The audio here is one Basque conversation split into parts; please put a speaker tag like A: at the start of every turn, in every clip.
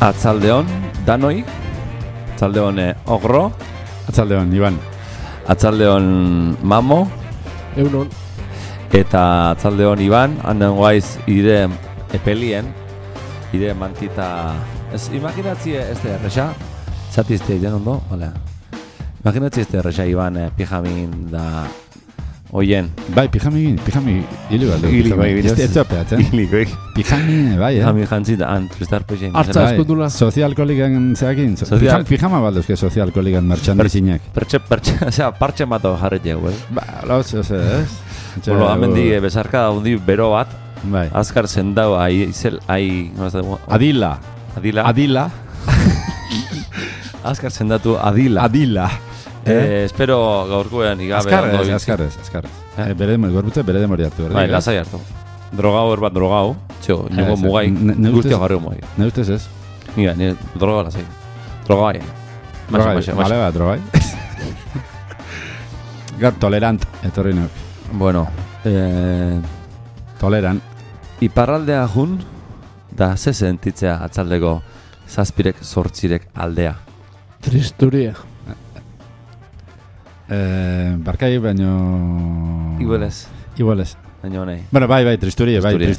A: Atzaldeon, Danoi, atzaldeon Ogro,
B: atzaldeon Iban,
A: atzaldeon Mamo,
C: Eunon,
A: eta atzaldeon Iban, handen guaiz ire epelien, ire mantita, ez imaginatzie ez da erresa, zatizte iten ondo, bale. Imaginatzie ez da erresa Iban pijamin da oien.
B: Bai, pijami, hili bat. Ez txopeatzen. Pijami, bai,
A: Pijami jantzita, antristarpezen.
C: Artza eskundula.
B: Sozialkoligan zeakin. Pijama balduzke sozialkoligan merchandizinek.
A: Partxe mato jarretxegu,
B: Ba, lauz, ez.
A: Bueno, amendi bezarka daundi bero bat,
B: bai.
A: azkar zendau,
B: Adila.
A: Azkar zendatu Adila. Espero gaurkoen igabe.
B: Azkarrez. Gorbutze bere demori hartu.
A: Bai, lasai hartu. Drogau. Txo, niko mugai. Guztia jarri mugai.
B: Ne ustez ez?
A: Mira, nire droga lasai. Droga bai.
B: Bale bat, droga bai. Gar tolerant, etorri nok.
A: Bueno,
B: tolerant.
A: Iparraldea jun, da ze sentitzea atzaldeko zazpirek zortzirek aldea.
C: Tristuria.
B: Barkai baino...
A: Igualez. Baino nahi.
B: Bueno, bai, tristuria. Berriz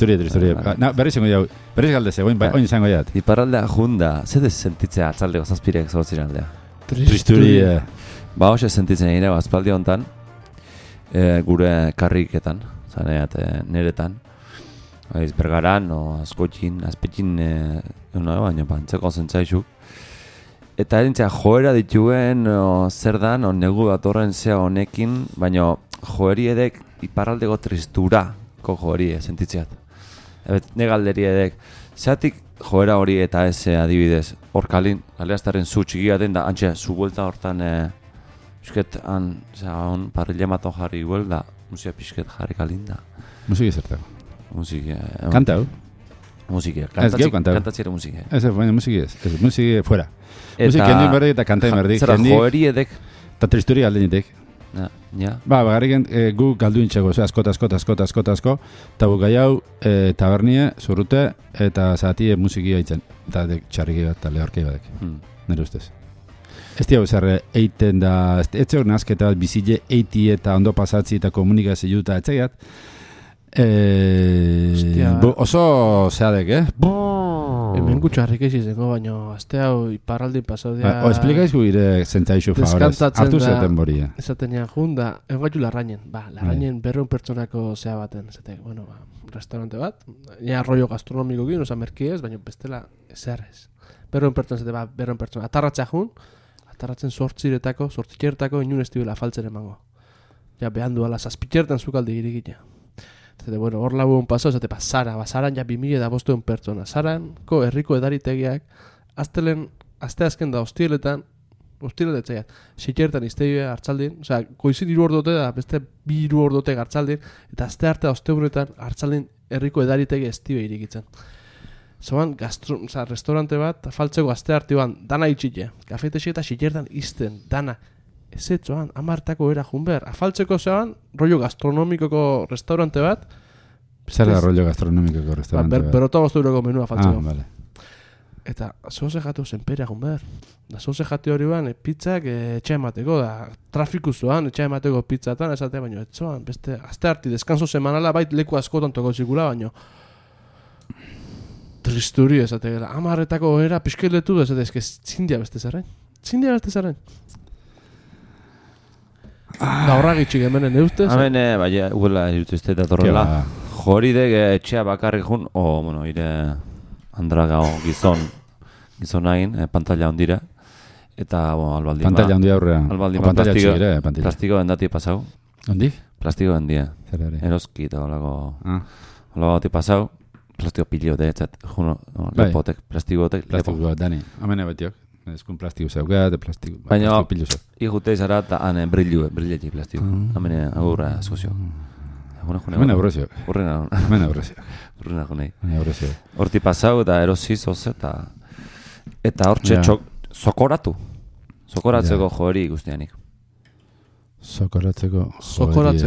B: galdez, oin zango jat.
A: Iparraldea jun da, ze sentitzea atzaldeko zazpirek zortzirek aldea.
B: Tristuria.
A: Ba, hoxe sentitzen egine, azpaldi honetan, gure karriketan, zaneat, neretan, Bergaran, askotin, azpetin, baina pantzeko zentzaizuk. Eta erintzea joera dituen zer dan, negu datorren zea honekin, baina joeri edek iparraldeko tristurako joeri sentitzeat. Negalderi edek, zeatik joera hori eta ez adibidez, hor kalin, galeaztaren zu txigiaten da, antxe, zu buelta hortan, pisket, on parrille mato jarri iguel da, musika pisket jarri kalin da.
B: Musiki zertako?
A: Musiki...
B: Kantau?
A: Musiki, kantatziere musiki.
B: Ez, baina musiki ez, musiki fuera. Musiki kendin berdik eta kantain berdik.
A: Zera joeri edek.
B: Eta tristuri aldenitek.
A: Ja.
B: Ba, bagarrik gu galdu intxego, asko, eta gu gaiau tabernie, zurrute, eta zatie musiki haitzen. Eta txarriki bat, eta lehorkei batek. Nire ustez. Ez diago zerre eiten da, ez zeok nazketa bizile eiti eta ondo pasatzi eta komunikazio eta etxegat. Oso zeadek,
C: Hemen gutxarrik izango, baina azte hau iparraldi pasau dira...
B: Esplikaizku gire zentzaixu favorez, hartu zeten boria.
C: Ezaten jun da, egon gaitu larrainen. Larrainen 200 pertsonako zea baten. Restaurante bat, rollo gastronomikokin, merkiez, baina bestela zerrez. 200 pertsona, 200 pertsona. Atarratzea jun, atarratzen sortzikeretako inun ez dibela faltzen emango. Ja, behan duala, zazpitxertan zukaldi girikina. Bueno, hor lagun paso, Zaran ja 2005 pertsona. Zaranko herriko edaritegiak, azte azken da hostiletetzaiat, xikiertan izteibia hartzaldin, goizin 3 ordote da, beste 2 ordote hartzaldin, eta azte arte osteunetan hartzaldin herriko edaritegi estibe irikitzen. Zoan, restaurante bat, faltzeko azte artioan, dana itxite, kafetexi eta xikiertan izten, dana. Ez etxoan, amartako era junber. Afaltzeko zean, rollo gastronomikoko restaurante bat.
B: Zer da rollo gastronomikoko restaurante bat?
C: Berota €5 menua afaltzeko.
B: Vale.
C: Eta zoze jatu zenperea junber. Da zoze jatu hori ban, pizzak etxa emateko, da trafiku zoan, etxa emateko pizzatan, esatea baino, etxoan, beste, azte harti, deskanso semanala, bait leku askotan toko txikula, baino. Tristuri esate gara. Amarretako era piskeletu, esate, zindia beste zerren. Da horragitxik hemenen eustez?
A: Hemen, baina, uela irutuzte eta torrela. Joridek etxea bakarrik jun, ire andragao gizonain, pantalla ondira. Eta, albaldin ba.
B: Pantalla ondi aurrean.
A: Albaldin ba, plastiko endati pasau.
B: Ondik?
A: Plastiko endia. Eroski eta olagoti pasau. Plastiko piliote, lepotek, plastikotek.
B: Plastiko, Dani. Hemen ebetiok. Ezkun plastiko zeuga, de plastiko.
A: Baina, ikute izara eta brilletik plastiko. Hemen agurra sozio.
B: Hemen aurreziok.
A: Horti pasau eta erosi zoze eta hortxe zokoratu. Zokoratzeko joeri guztianik.
B: Zokoratzeko.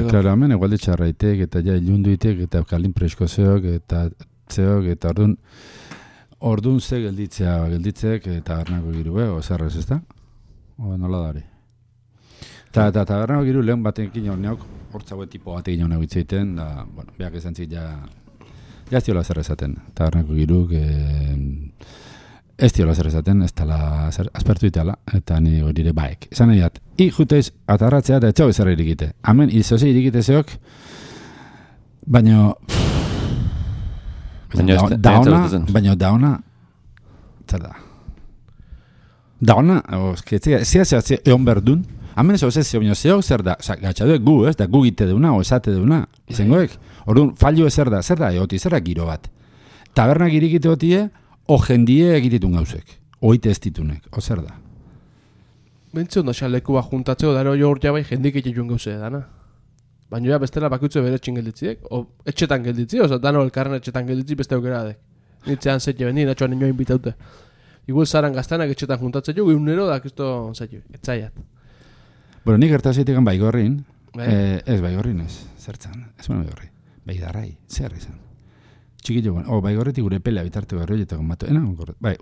B: Claro, hemen egualde txarraitek eta ja ilunduitek eta kalin preskozeok eta zeok eta orduan Ordun ze gelditzek tabernako giru, ozerrez, ez da? Nola da hori? Eta tabernako giru lehen batekin neok, hortzago tipo batekin hona bitzeiten, da, bueno, beak esan zit ez diola zer esaten. Tabernako giruk, ez diola zer esaten, ez tala aspertu itala, eta ni horire baek. Esan nahi dat, juteiz atarratzea eta etxau ezerra irikite. Hemen, izoze irikite zeok, baina daona, zer da? Daona, zea egon berdun, hemen ez hori zeok zer da, gatxaduek gu, ez da gu gite deuna, o esate deuna, izangoek, orduan, fallo zer da eoti, zer da giro bat. Tabernak irikite otie, o jendie egititun gauzek, oite ez ditunek, o zer da.
C: Bentzion da xaleku bat juntatzeko, dara hori hor jabai jendik egitun gauze dana. Baina ja bestela bakutze bere etxin gelditziek, o etxetan gelditzi, oza, dano elkarren etxetan gelditzi beste aukera adek. Nitzean zetje bendi, natxoan inoa inbitaute. Igual zaran gaztanak etxetan juntatzen jo, unero da kisto zetje, etzaiat.
B: Bueno, nik gertazitekan baigorrin, ez baigorrin ez, zertzan, ez bueno baigorri, baidarrai, zer izan. Txikillo guen, baigorretik gure pelea bitarte barroietako matu,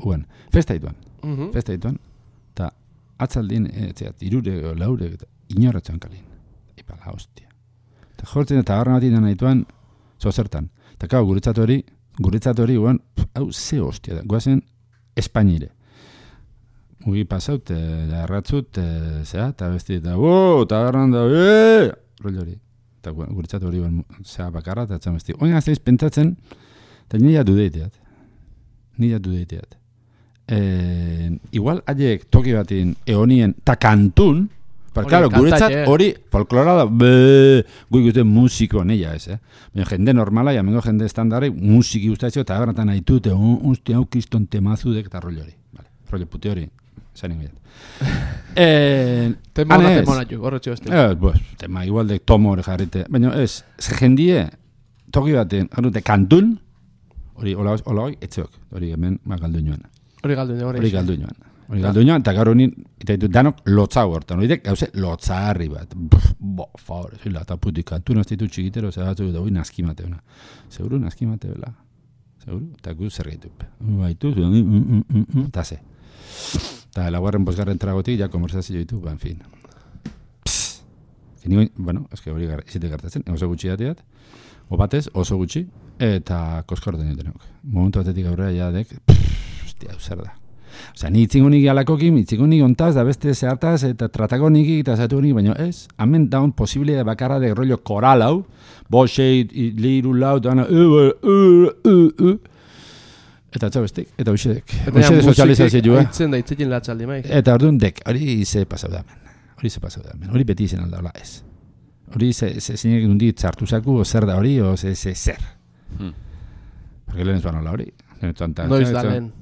B: uen, festa dituan, eta atzaldin, irure, laure, inorratxoan kalin, ipala, hostia. Eta jortzen eta garran batin dena dituan, zozertan. Eta kau, guretzatu hori, guen, hau, ze hostia da, guazen, Espainire. Mugi pasaut, erratzut, zea, eta besti, eta garran da, rollo hori. Eta guretzatu hori, zea, bakarra, eta txan besti. Oina, zeiz, pentsatzen, eta nila dudeiteat. Igual, haiek toki batin eonien, ta kantun, claro, guretzat hori folklora da, gu ikusten musiko neia ez, Baina jende normala, jamengo jende estandarri, musiki ustazio, eta agarratan haitute, hostia, kiston temazudek, eta rollo hori. Rollo pute hori, esan ingo jat.
C: Temona juk, horretxo beste.
B: Tema, igual de tomo hori jarrite. Baina ez, jendie, toki baten, kantun, hori, hola etxeok, hori hemen, galdu inoan. Hori galdu inoan, eta gaur honin, eta ditu danok lotzau hortan, hori dek, gauze, lotzaharri bat. Favore, zila, eta putik, kantu naztitu txikitero, zehatzuk eta hori naskimateuna. Seguru naskimate bela? Seguru? Eta guz zer gaitu. Baitu, eta ze. Eta laguarren bosgarren tragotik, ja, konversazio ditu, en fin. Bueno, ez que hori izite gartatzen, oso gutxi dateat, o batez, oso gutxi, eta koskorden dutenok. Momentu batetik aurrera jadek, hostia, zer da. Osa, ni itzingo nik alakokin, itzingo nik ontaz, da beste zehartaz, eta tratako nik eta zatu nik, baina ez, hamen daun posibilea bakarra de rollo koral hau, bosei, liru lau, eta txabestik, eta uxedek. Uxede sozializazioa.
C: Itzen da, itzekin latzaldi maik.
B: Eta orduan dek, hori ze pasau da hemen. Hori beti izen alda, hola ez. Hori zeinek dundi txartu zaku, o zer da hori, o zer. Porque lehen ez hola hori.
C: Noiz da lehen.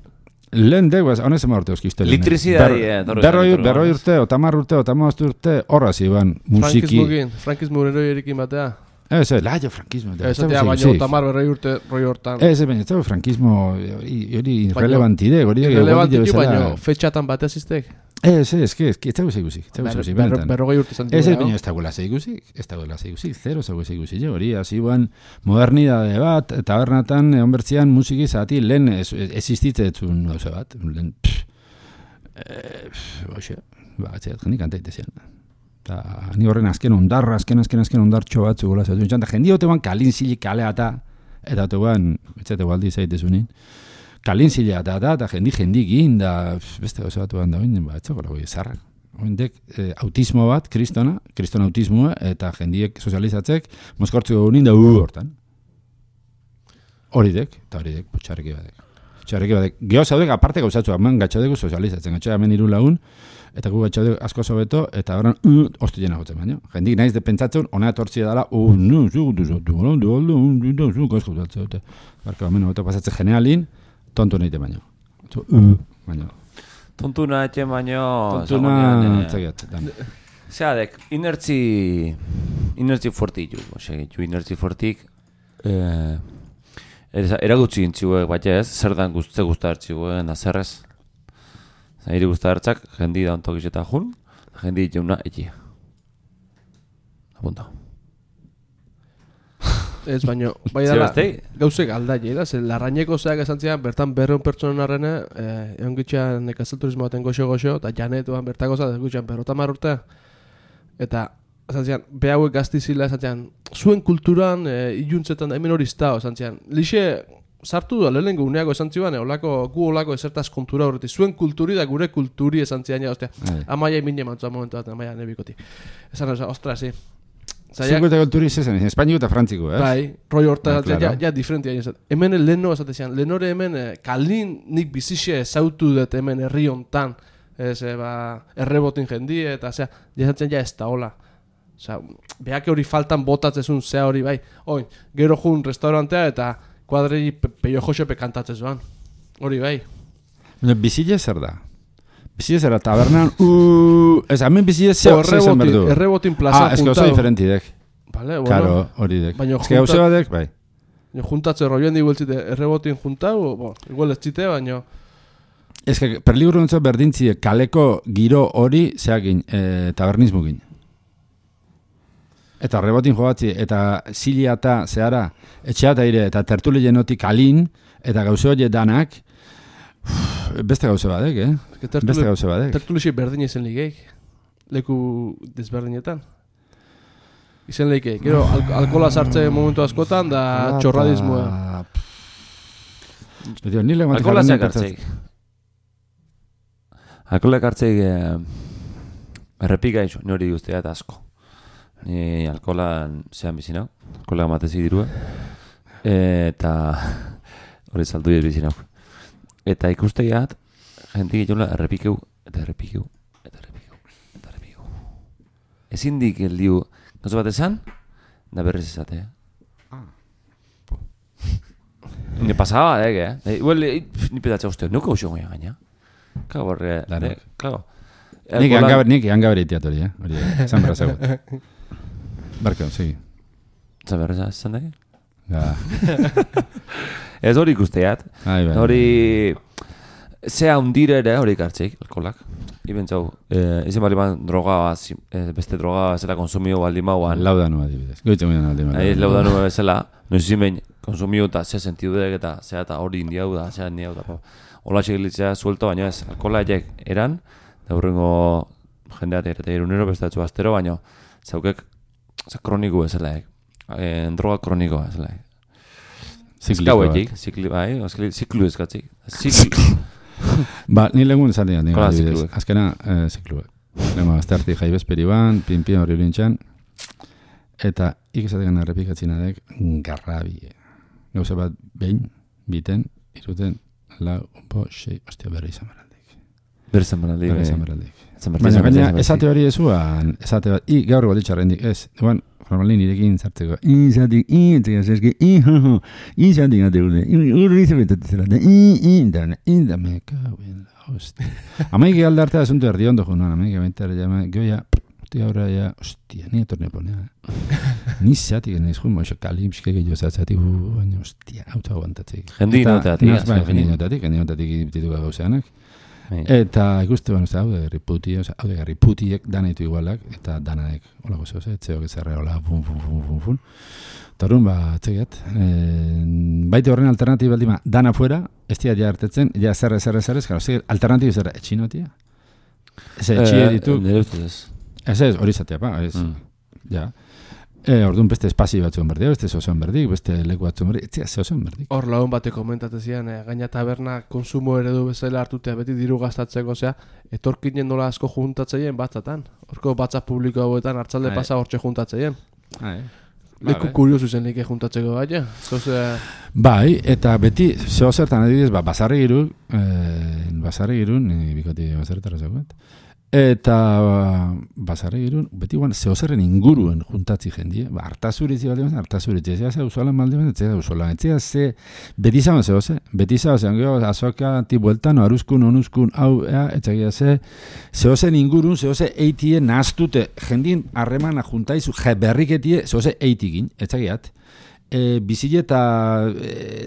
B: Lehen dek, honez ema urte euskizte.
A: Elektrizidadi.
B: Berroi urte, otamar urte, horra ziban musiki.
C: Frankismo erorikin batea.
B: Ez, laio frankismo.
C: Ez, baina otamar berroi urte roi hortan.
B: Ez, baina ez frankismo hori irrelevantide.
C: Irrelevantide, baina fetxatan batea ziztek.
B: Ez dago zeigusik.
C: Berrogei urte zantik.
B: Ez, baina ez dagoela zeigusik. Zero zago zeigusik. Hori, hasi guan modernidade bat, tabernatan, onbertzian musiki zati lehen existitzetzun gauza bat. Lehen, atzeat, jenik antaitezian. Ni horren azken ondarra, azken ondartxo bat zugola zatu. Eta jendi otean kalin zilik kalea eta otean, etxate gualdi zaitezunin, kalin zilea eta jendikin, da beste gauza batu da oinen, etxako lago izarrak. Oindek, autismo bat, kriston autismoa, eta jendiek sozializatzek, moskortzuko gunin da hortan. Horidek, txarriki badek. Geho zaudek, aparte gauzatzu, hemen gatxaudeko sozializatzen, gatxaudek hemen 3 lagun, eta gu gatxaudek asko sobeto, eta horren, ostu jena gotzen baino. Jendik naiz de pentsatzen, hona etortzia dala, pasatzen generalin, tontu nahi baino.
A: Tontu nahi baino... Zeadek, inertzi fortik ju. Inertzi fortik... Eragutzi gintziuek bat ez, zer dan guztartziuen da zerrez. Iri guztartzak, jendi da ontokiz eta jun, jendi dituna eki. Apunta.
C: Ez, baino, bai dala, gauzek aldaile, ze larraineko zeak esan zian, bertan 200 pertsonen arrene, egon gitxean nekazal turismo baten goxo, eta janetuan bertako zat, gutxean 50 urte, eta, esan zian, behauek gaztizila, esan zian, zuen kulturan, iluntzetan, hemen hori iztao, esan zian, lixe, sartu da, lehenengo uneako esan zian, gu olako esertaz kontura horreti, zuen kulturi da gure kulturi esan zian, ostia, amaia imine mantzua momentu bat, amaia nebikoti. Esan, ostra, si.
B: Zuko eta kulturi zezen, Espainiko eta Frantziko, eh?
C: Bai, roi horta, ja diferentia. Hemen leheno, esatezian, lehenore hemen kalin nik bizixe ezautu dut hemen herri hontan, errebotin jendie, eta jasatzen ja ez da hola. Behake hori faltan botatzezun zea hori, bai. Gero jun restaurantea eta kuadrei peio josepe kantatzen zuan. Hori, bai.
B: Bizile zer da? Bizile zer da, tabernan, ez, hamen bizile zeo izan berdu.
C: Errebotin plaza
B: juntau. Ez que oso diferentidek.
C: Vale, bueno.
B: Karo, hori dek. Ez que hauze badek, bai.
C: Juntatze roioen digueltzite errebotin juntau, igual ez zite, baina...
B: Ez que perliburu nintzen berdintzie kaleko giro hori zeagin, tabernismugin. Eta rebotin joatzi, eta zilia eta zehara, etxeat aire, eta tertuli jenotik alin, eta gauze hori danak, beste gauze badek, beste gauze badek.
C: Tertulixi berdin izen ligeik, leku desberdinetan. Izen leikeik, gero alkola sartze momentu askotan, da txorradizmoa.
A: Alkola zekartzeik. Alkola ekartzeik errepika iso, nori guztia eta asko. Ni alkolan zean bizinau, alkola matezi dirua, eta hori saldu ez bizinau. Eta ikusteiat, jentik itxola errepikeu, eta errepikeu, eta errepikeu, eta errepikeu. Ezin dik eldiu, gauza bat esan, da berriz esate. Ni pasaba, igual, ni pedatxa uste, nuko usio goia gaina. Kago horre, kago.
B: Nik hangaberit hori, hori, esan berra zegoet. Barko, segi.
A: Esan berra esan dake? Ez hori ikusteat. Hori... Zea hundire ere hori ikartzeik, alkolak. Ibentzau, ezin bali ban droga, beste droga zela konsumio baldi mauan.
B: Laudanu adibidez. Goitzen guen aldi mauan.
A: Laudanu bezala, noiz izin konsumio eta ze sentidu dek eta zea eta hori indiau da, zea indiau da. Ola txegilitzea suelto, baina ez, alkola ejek eran, da hurrengo jendeat eta irunero bestatzu astero, baina zaukek kroniko bezala, droga kronikoa bezala. Zikliko bat. Ziklu ezkatzik.
B: Ba, ni lehengun esan dira, azkena zikluek. Lema, azterti jaibezperi ban, pinpin hori lintxan, eta ikezatekan errepikatzina dek, garrabie. Gauza bat, behin, biten, iruten, lau, bo, sei, ostia, berri izan beraldik.
A: Berri izan beraldik.
B: Baina, esate hori ezuan, esate bat, gaur balditxarren dik, ez, duan, formalin irekin zartzeko, izatik, izatik ategude, urri izabetatzera, da meka, hostia. Amaik aldartea asunto erdi ondo junan, amaik abentar, goia, ahora ya, hostia, ni etorne ponea. Ni zatik, nahiz jun, moixo, kalimske gehiago zatik, baina, hostia, auto aguantatzek.
A: Jendi notatik.
B: Jendi notatik dituga gauzeanak. Eta ikuste hau de riputiek danaitu igualak, eta danaek, hola gozo, etxeok ezerre, hola, fun. Torun, txegiat, baite horren alternatiba baldima, dana fuera, ez dira ja hartetzen, ja zerre, alternatiba zerre, etxinotia? Etxie dituk? Ez, hori zatea, ez, ja. Orduan beste espazio batzuen berdik, beste zozoen berdik, beste leku batzuen berdik, etzia zozoen berdik.
C: Hor lagun bate komentatezian, gaina taberna konsumo eredu bezala hartutea beti diru gastatzeko, etorkinen nola asko juntatzeien batzatan. Horko batza publiko hauetan hartzalde pasa hortxe juntatzeien. Leku kuriosu zen like juntatzeko baina.
B: Bai, eta beti, zehozertan adibidez, basarri girun, bikoti basarretara zagoet. Eta basarri girun, beti guan, zehozerren inguruen juntatzi jendie. Artazuritzi balde mazan, artazuritzi. Etzea ze usualan balde mazan, etzea usualan. Etzea ze, beti zama zehoze. Beti zama zehoze, azoka, ti bueltan, aruskun, onuskun, hau, etxegia ze. Zehozen ingurun, zehoze eitie nahaztute. Jendien harremana juntaizu, berriketie, zehoze eitigin, etxegiat. Bizile eta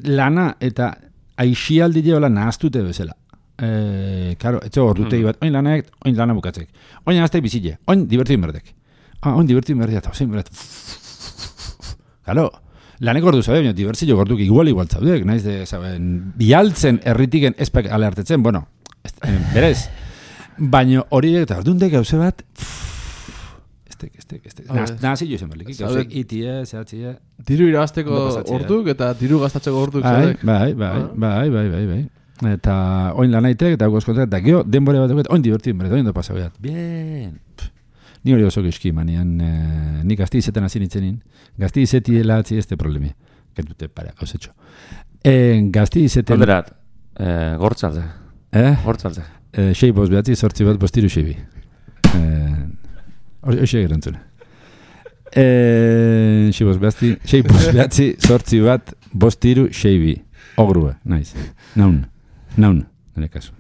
B: lana eta aixialdi jeola nahaztute bezala. Claro, etxo ordutei bat, oin lana bukatzek. Oin aztek bizile, oin divertin berdek. Oin divertin berdek, eta oin berdek. Claro, Lanek ordu zabe, baina diversio gorduk igual zaudek, naiz de, zaben, bialtzen erritiken espek ale hartetzen, bueno, berez, baina horiek eta ordundek gauze bat, nazi jo zen berlik, gauze itie, zehatzie.
C: Diru irabazteko orduk eta diru gastatzeko orduk.
B: Bai. Eta oin lanaitek eta gozkontak, eta gero denbore bat duket, oin divertin beret, oin da pasa behat. Bien. Ni hori oso gizki, manian, ni gazti izetan hasi nintzenin. Gazti izeti helatzi este problemi. Kentute, para, gauzetxo. Gazti izeten...
A: Alderat, gortzalde. Gortzalde.
B: Sei bost behatzi, sortzi bat, bostiru seibi. Hoxe gerantzuna. Sei bost behatzi, sortzi bat, bostiru seibi. Ogrua, naiz. Naun, nire kasu.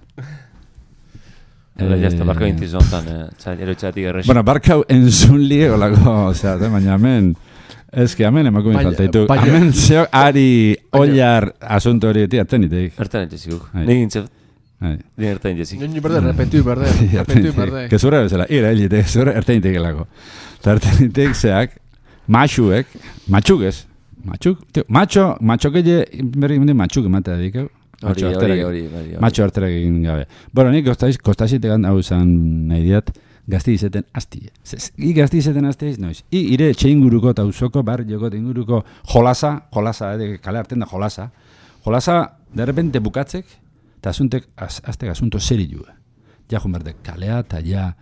A: Jazta, barkau intizontan, eroitzatik errexi.
B: Bueno, barkau enzun liego lako, osea, baina hemen, eski hemen emako mi faltaitu. Hemen zeo ari ollar asunto hori eti arteniteik.
A: Artenitezikuk. Nik intzat. Ni artenitezik.
C: Ni berde, repentu berde.
B: Que zure bezala, ira hilite, zure arteniteik elako. Eta arteniteik zeak, matxuk ez. Matxok ege, berri matxuk ematea dikau.
A: Hori.
B: Matxo hartera egin gabe. Bueno, nik kostazitegan hau zan nahi diat, gazti izeten azti. I gazti izeten azti ez noiz. I ire etxe inguruko eta usoko, barrioko eta inguruko jolasa, kale hartzen da jolasa. Jolasa, de repente bukatzek, eta asuntek, aztek asunto seri jue. Ja junberdek kalea, eta ja,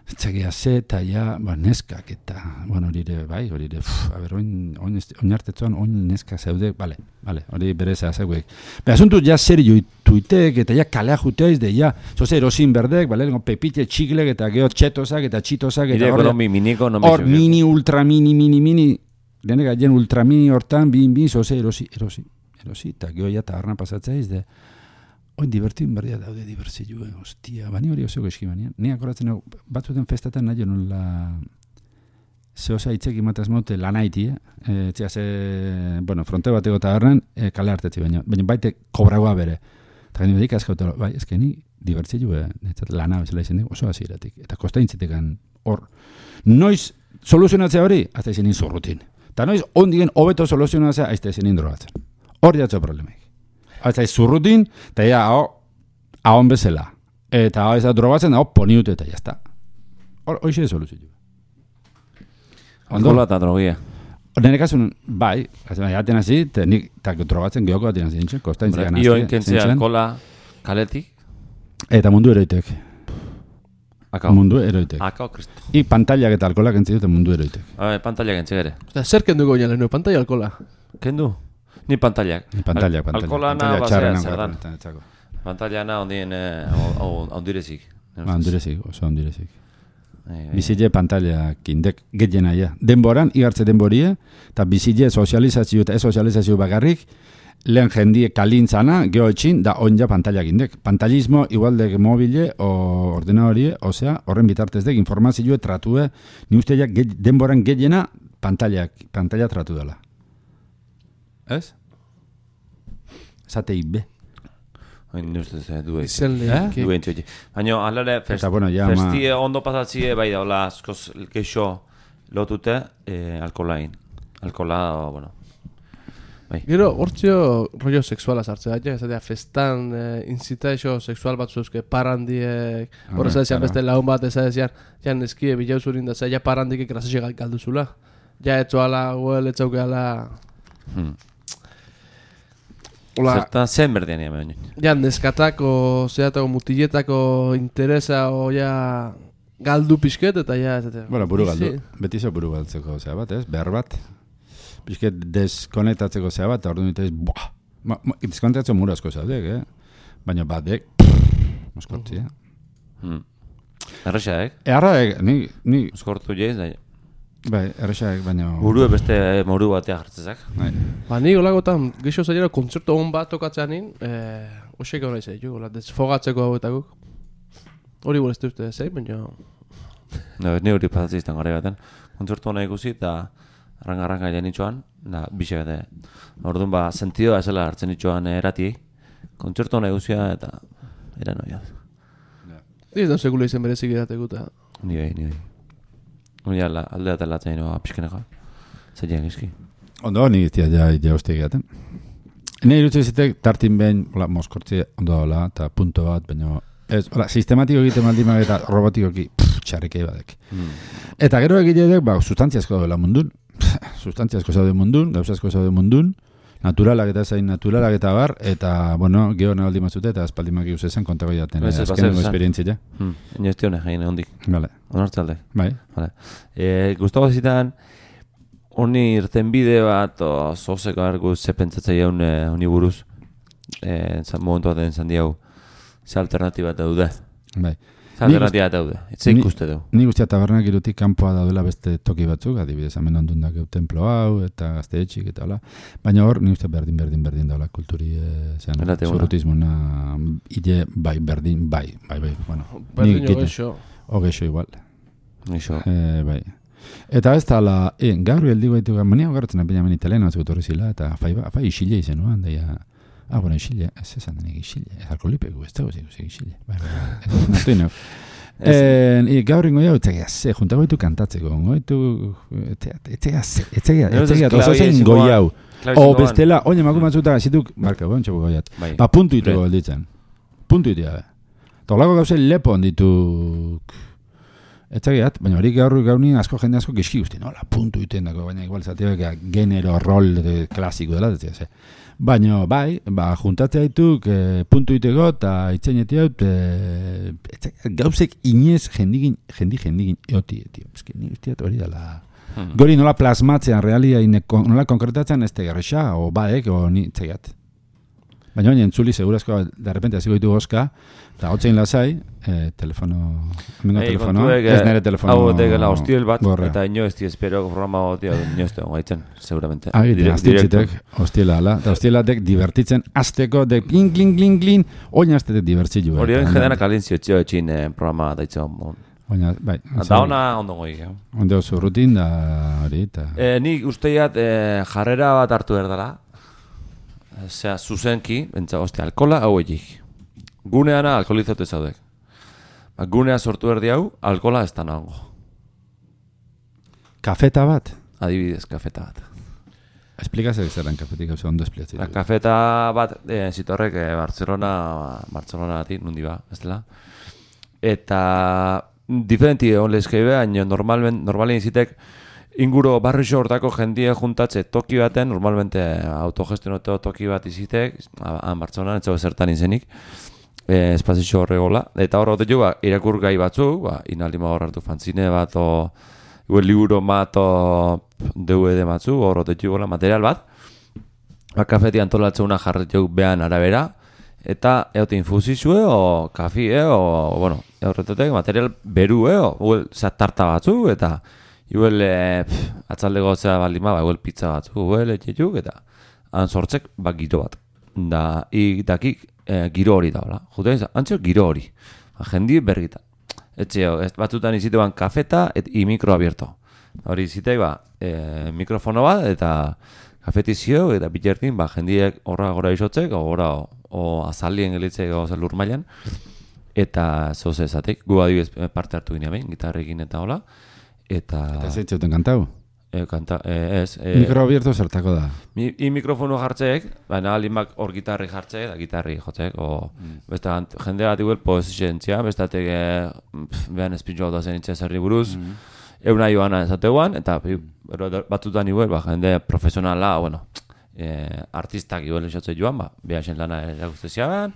B: txegia ze, eta ja, neskak, eta, bueno, horire, a ber, oinartetzuan, neska zeude, bale, hori bereza azeuek. Asuntu ja seri joituitek, eta ja kalea juteaiz, de ja, zoze erosin berdek, bale, pepite txiklek, eta geho txetosak, eta txitosak, eta hor, mini, ultra mini, denek aien ultra mini hortan, bin, zoze erosi, eta geho ja tabarna pasatzaiz, de, oin divertin berdia daude diversio, hostia, bani hori oso eski banean. Ni akoratzen batzuten festatan nahi nola zehoza itzek imataz mote lanaiti, fronte bateko tabernan, kale hartetzi baina baite kobragoa bere. Eta gani bedik azkautelo, ezke ni diversio, lana bezala izan oso hasieratik. Eta kostaintzetekan hor. Noiz soluzionatzea hori, azta izan zurrutin. Eta noiz ondigen hobeto soluzionatzea, azta izan drogatzen. Hor jatzo problemek. Hau zurrutin, eta ja, hau bezala. Eta hau ez da drogatzen, hau poniute eta jazta. Hoxe soluzio.
A: Alkohola eta drogia.
B: Nire kasun, bai, jaten hasi, eta drogatzen geoko baten hasi dintzen, kostaintzea nazte.
A: Io inkentzea alkohola kaletik?
B: Eta mundu eroitek. Mundu eroitek.
A: Akao, kristo.
B: I pantallak eta alkohola kentzea dute mundu eroitek.
A: Pantallak kentzea ere.
C: Zer kendu goña lehenu, pantalla alkohola?
A: Kendu? Ni pantallak. Alkolana bazera zer dan. Pantallana ondien ondirezik.
B: Oso ondirezik. Bizile pantallak indek getjena ja. Denboran, igartze denborie, eta bizile sozializazio eta sozializazio bakarrik, lehen jendie kalintzana, gehoetxin, da onja pantallak indek. Pantallismo, igualdek mobile, o ordenadorie, osea, horren bitartez dek, informazioe, tratue, ni uste ja denboran getjena pantalla tratu dela. Ez? Zatei be.
A: Ni uste du
C: Duen
A: txoiti. Baina, alare, festie ondo pasatzie, bai da, hola, askoz keixo lotute alkolain. Alkola, bueno.
C: Gero, hortzio rollo sexuala sartzea, ezatea, festan incitaixo sexual bat zuzke, parandiek, horrez ezean beste laun bat ezean, ja neskie bilauzurin da, ja parandik grasasik galduzula. Ja etzoala, huel etzaukeala...
A: Zertan zen berdean ea baina.
C: Ja, neskatako, zeatako, mutiletako interesa o ja galdu pixket eta ja...
B: Bueno, buru galdu. Beti zo buru galtzeko zea bat, ez? Behar bat. Pixket deskonektatzeko zea bat, eta ordu nitez, deskonektatzeko mura asko zaudek, baina bat dek, moskortzi,
A: Errexaek?
B: Erraek, ni...
A: Moskortu jeiz, da...
B: Bai, errexaek, baina...
A: Burue beste moru batea jartzezak.
C: Ba, ni olagotan, gixo zailera kontzertu hon bat tokatzean nin, oseik hona izai, desfogatzeko hauetakuk. Hori bolezte uste zei, baina...
A: Ni hori patatze izan gara baten. Kontzertu hona ikusi eta arranka janitxoan, bixe bete. Orduan ba, sentidua esela hartzen itxoan eratiei. Kontzertu hona ikusia eta eran hori.
C: Ez da sekula izen berezik edateko eta...
A: Ni bai. Hori alde eta latzaino pixkeneko. Zailean gizki.
B: Ondo, nik iztia ja uste egaten. Nei irutze zitek, tartin behin, moskortzi ondo dola, eta punto bat, baina ez, sistematiko egiten maldimak eta robotikoki txarrikei badek. Eta gero egileak, sustantziazko doela mundun. Sustantziazko zaude mundun, gauzazko zaude mundun, naturalak eta zain naturalak eta bar, eta, bueno, geho nabaldi mazute, eta espaldimak egusezen kontako jaten. Azkenengo esperientzia.
A: Inoizti honek egin hondik.
B: Vale.
A: Onortzalde.
B: Bai.
A: Vale. Gustavo zitan, honi irten bide bat, zozeko ergu ze pentsatzei honi buruz, momentu baten zan diau, ze alternatiba daude.
B: Bai.
A: Ze alternatiba daude. Etze ikuste du.
B: Ni guztia tabernak irutik kanpoa daudela beste toki batzuk, adibidez, hemen ondundak templo hau, eta gazteetxik, eta hola. Baina hor, ni uste berdin daula kulturi, zurutismona, ide, bai, berdin, bai, bueno.
C: Berdin ogeixo.
B: Ogeixo igual.
A: Eixo.
B: Bai. Eta ez tala, gaur heldi baitu, mania hogartzen apina meni telena batzuk etorri zila, eta fai isile izen nuan, daia, bueno, isile, ez esan denik isile, ez alkoholipeko, ez dago zeko isile. Natu ino. Gaur ingo jau, etxegia ze, juntago ditu kantatzeko, etxegia, tozozein goi hau. O bestela, oine makumatzuta zituk, barka, txapu goiat. Puntu iteko galditzen. Puntu itea. Tolako gauze lepo ondituk. Etxagiat, baina hori gaur asko jende asko gizki guzti, nola, puntu iten dako, baina igual zateak genero, rol klasiko dela, ez baina, bai, juntatzea dituk, puntu iteko, eta itxainetik haut, gauzek inez jendigin, eoti, eski, ni usteat hori dela. Gori nola plasmatzean, realia, nola konkretatzen ez tegarrexa, o baek, o ni itxagiat. Baina hori entzuli, segurazko, de repente, hasiko ditu goska, eta hotzein lasai, telefono, ez nire telefono.
A: Hau tegela hostiel bat, eta ino ez espero programa hotia ino ez tegon gaitzen, seguramente.
B: Aztitzitek, hostiela ala, eta hostielatek divertitzen, azteko, de klin, oin aztetek divertzitu.
A: Hori hori jendenak alintzio txio etxin programa daitzen.
B: Bai.
A: Eta ona ondo goi.
B: Ondo zurrutin da hori, eta...
A: Nik usteiat jarrera bat hartu erdala, osea, zuzenki, alkola hau egik. Guneana alkoholizatu zaudek. Gunea sortu erdi hau, alkola ez da nahongo.
B: Kafeta bat?
A: Adibidez, kafeta bat.
B: Esplikazak zelan kafetik, hau ondo espliatzen.
A: Kafeta bat, zitorrek, Bartzelona nundi ba, ez dela. Eta diferenti egon lezkeibe, baina normalien izitek, inguro barrixo hortako jendie juntatze toki baten, normalmente autogestionatu toki bat izitek, han Bartzelonan, etxo zertan izenik, espazio horregola, eta hor hote jo, irakur gai batzuk, inaldima hor hartu fanzine bat, liburo bat, DVD batzu, hor hote jo, material bat, kafeti antolatzen una jarretu behan arabera, eta eote infusizue, o kafie, o, bueno, horretotek, material berue, o, tarta batzu, eta igual atzaldego zera baldima, igual pizza batzu, igual etxetuk, eta han sortzek, giro bat. Da, dakik giro hori daula. Juten izan, antzio giro hori. Jendi bergita. Etxeo, batzutan iziteban kafeta i mikro abierto. Hori izitek, mikrofono bat, eta kafetizio, eta bitertin, jendiek horra gora isotzek, o azalien gelitzek lur mailan, eta zoze esatek, gu adibidez parte hartu gine behin, gitarrekin eta hola, eta
B: zeitzeuten kantau?
A: Ez.
B: Mikro abierto zertako da?
A: Mikrofono jartzeek, baina alimak hor gitarri jartzeek, da gitarri jotzek, beste jende bat iguel posizentzia, bestatek behan espintxo da zen itxe zerri buruz, euna joana ezateguan, eta batzutan iguel, jende profesionala, artistak iguel esatzei joan, behasen lana eragustezia behan,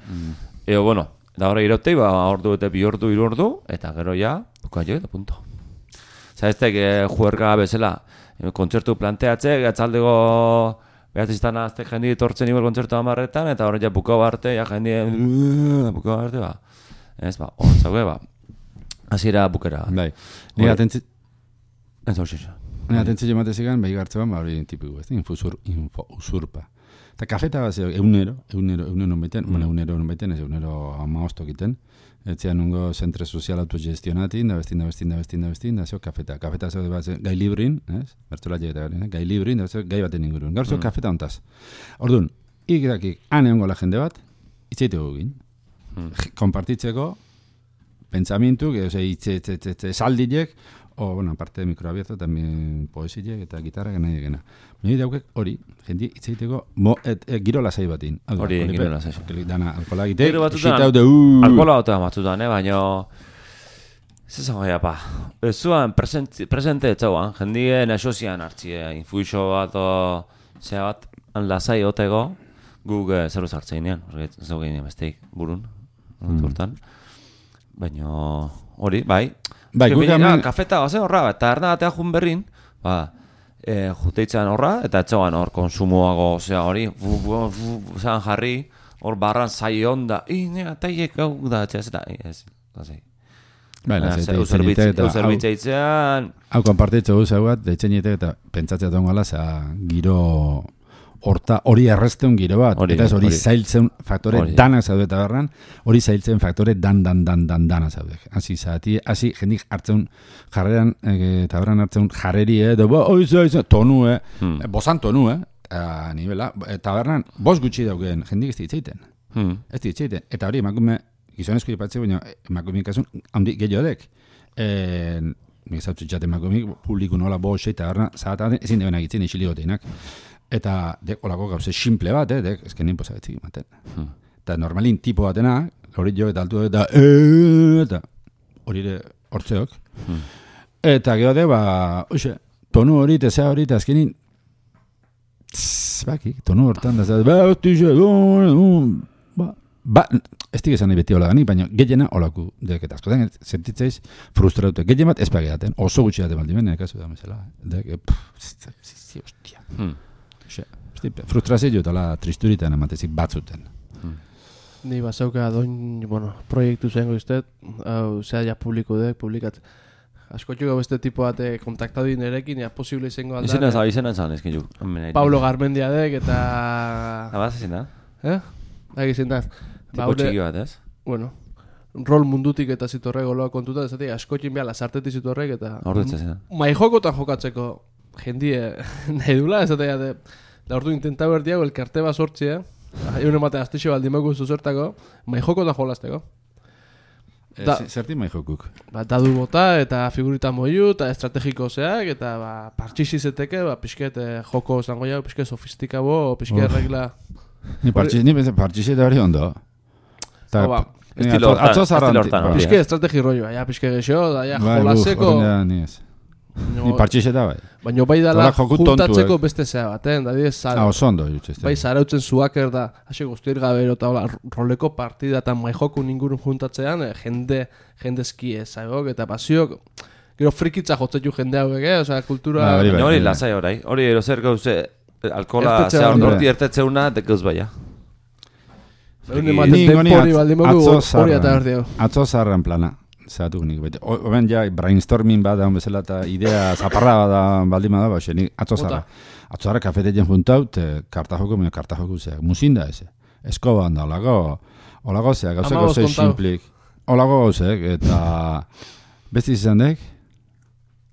A: bueno, da horre irotei, ordu eta bi ordu, hiru ordu, eta gero ja, bukoa jo, eta punto. Zaiztek, juerga bezala, kontzertu planteatzek, atzaldego behatziztan aztek jendi tortzen igual kontzertu amarretan, eta horre ja bukau arte, jendi bukau arte, ez, ontzauke, hasiera bukera.
B: Bai, nire atentzi...
A: Ez hau xixo.
B: Nire atentzi jomatezikan, behi gartzeban, hori tipiko, ez, info usurpa. Eta kafeta bat, egunero non baiten, egunero non baiten, ez egunero amaostok iten, etxean nungo zentre sozial autogestionatin, da bestin, da zeo kafeta. Kafeta zeu bat, gai librin, ez? Bertzola jegeta garen, gai librin, da zeu gai baten ingurun. Gaur zeu kafeta ontaz. Orduan, ikidakik, han egongo la jende bat, itzaiteko egin. Kompartitzeko, pentsamientuk, esaldiek, o, bueno, aparte de micro abierto, también poesiek eta gitarra gana egena. Baina daukek hori, jendi hitz egiteko giro lasai batin.
A: Hori, giro lasai.
B: Dana alkola egite,
A: alkola batuta batzutan, baina... Zezan goia, pa. Zuan presente etxauan, jendien esozian hartzie, infuixo bat o... Zea bat, lasai otego, guk zeruz hartzeinean, ez dugu ginen besteik burun, urtan. Baina hori, bai.
B: Bai, guk hemen...
A: Kafeta gaze horra, eta erna batea jun berrin, juteitzen horra, eta etxauan hor konsumoago, zea hori, zean jarri, hor barran zai onda, nega, taiek gau da, eta ez, gazei.
B: Bai,
A: Eusarbitzeitzean...
B: Hau konpartitzu guzau bat, deitzenietek eta pentsatzea tongoala, giro hori errezteun giro bat, eta ez hori zailtzen faktore danak zaude eta berran, hori zailtzen faktore danak zaude. Hasi jendik hartzen jarreran, eta berran hartzen jarreri, tonu, bozan tonu, nivela, eta berran, bos gutxi dauken, jendik ez ditzeiten. Ez ditzeiten, eta hori emakume, gizonezko ipatze, baina emakumik asun, handi gehiodek. Nik zautzen txate emakumik, publiku nola boxe eta garna, zahatan ezin deben agitzen isiligotenak. Eta olako gauze simple bat, ezken nien posabetzik ematen. Eta normalin tipo batena, hori jo eta altu eta hori hortzeok. Eta geode, tonu hori, tezea hori, eta azkenin, tonu hortan, ez dik esan nahi beti hola gani, baina gehiena holaku dek eta askotan sentitzeiz frustraute. Gehien bat ez pageaten, oso gutxi daten baldimen, nekazu da mesela. Hostia. Frustrazio eta la tristuritan amatezik batzuten.
C: Ni bazauka doin, proiektu zengo iztet, hau zea ja publiko dek, publikat. Askotxuko beste tipo bat kontaktatu nerekin, posible izango aldan.
A: Izena zan, ezkin juk.
C: Paulo Garmendia dek eta...
A: Abaz ezin da?
C: Egizien da.
A: Tipo txiki bat, ez?
C: Bueno, rol mundutik eta zitorrek oloa kontuta, ez da, askotxin behar lasartetik zitorrek eta...
A: Horretzen zena.
C: Maijokotan jokatzeko jendie nahi dula, ez da, ordu intentau erdiago elkarte bat sortzea, egun ematen aztixo baldimako zuzertako, maijokotan jolazteko.
B: Zerti maijokuk?
C: Dadu bota eta figurita moiu eta estrategiko zeak eta partxizizeteke, pixket joko zango jau, pixket sofistikabo, pixket regla...
B: Ni partxizeta hori ondo.
A: Estilo hortan.
C: Pixke estrategi rolloa, pixke gexo, jolaseko...
B: Ni partxizeta bai.
C: Baina bai dala juntatzeko beste zea baten, da diez zara.
B: Osondo, jutxezte.
C: Bai zarautzen zuaker da, hase guztier gabero eta roleko partida eta maijoku ningurun juntatzean, jendezki ezagok eta pasiok, gero frikitza jotzetu jende hauek, oza, kultura...
A: Hori lasai horai, hori erozer gauze... Alkola, zea horti ertetzeuna, dekeuz baia.
B: Atzo zarren plana, zehatu nik bete. Oben ja, brainstorming bat, daun bezala, eta idea zaparra bat baldima da, baxe, nik atzo zarra. Atzo zarra kafetetzen juntaut, kartajoku zeak, musin da eze. Eskoban da, olago zeak, gauze simplik. Olago gauzek, eta besti izan dek?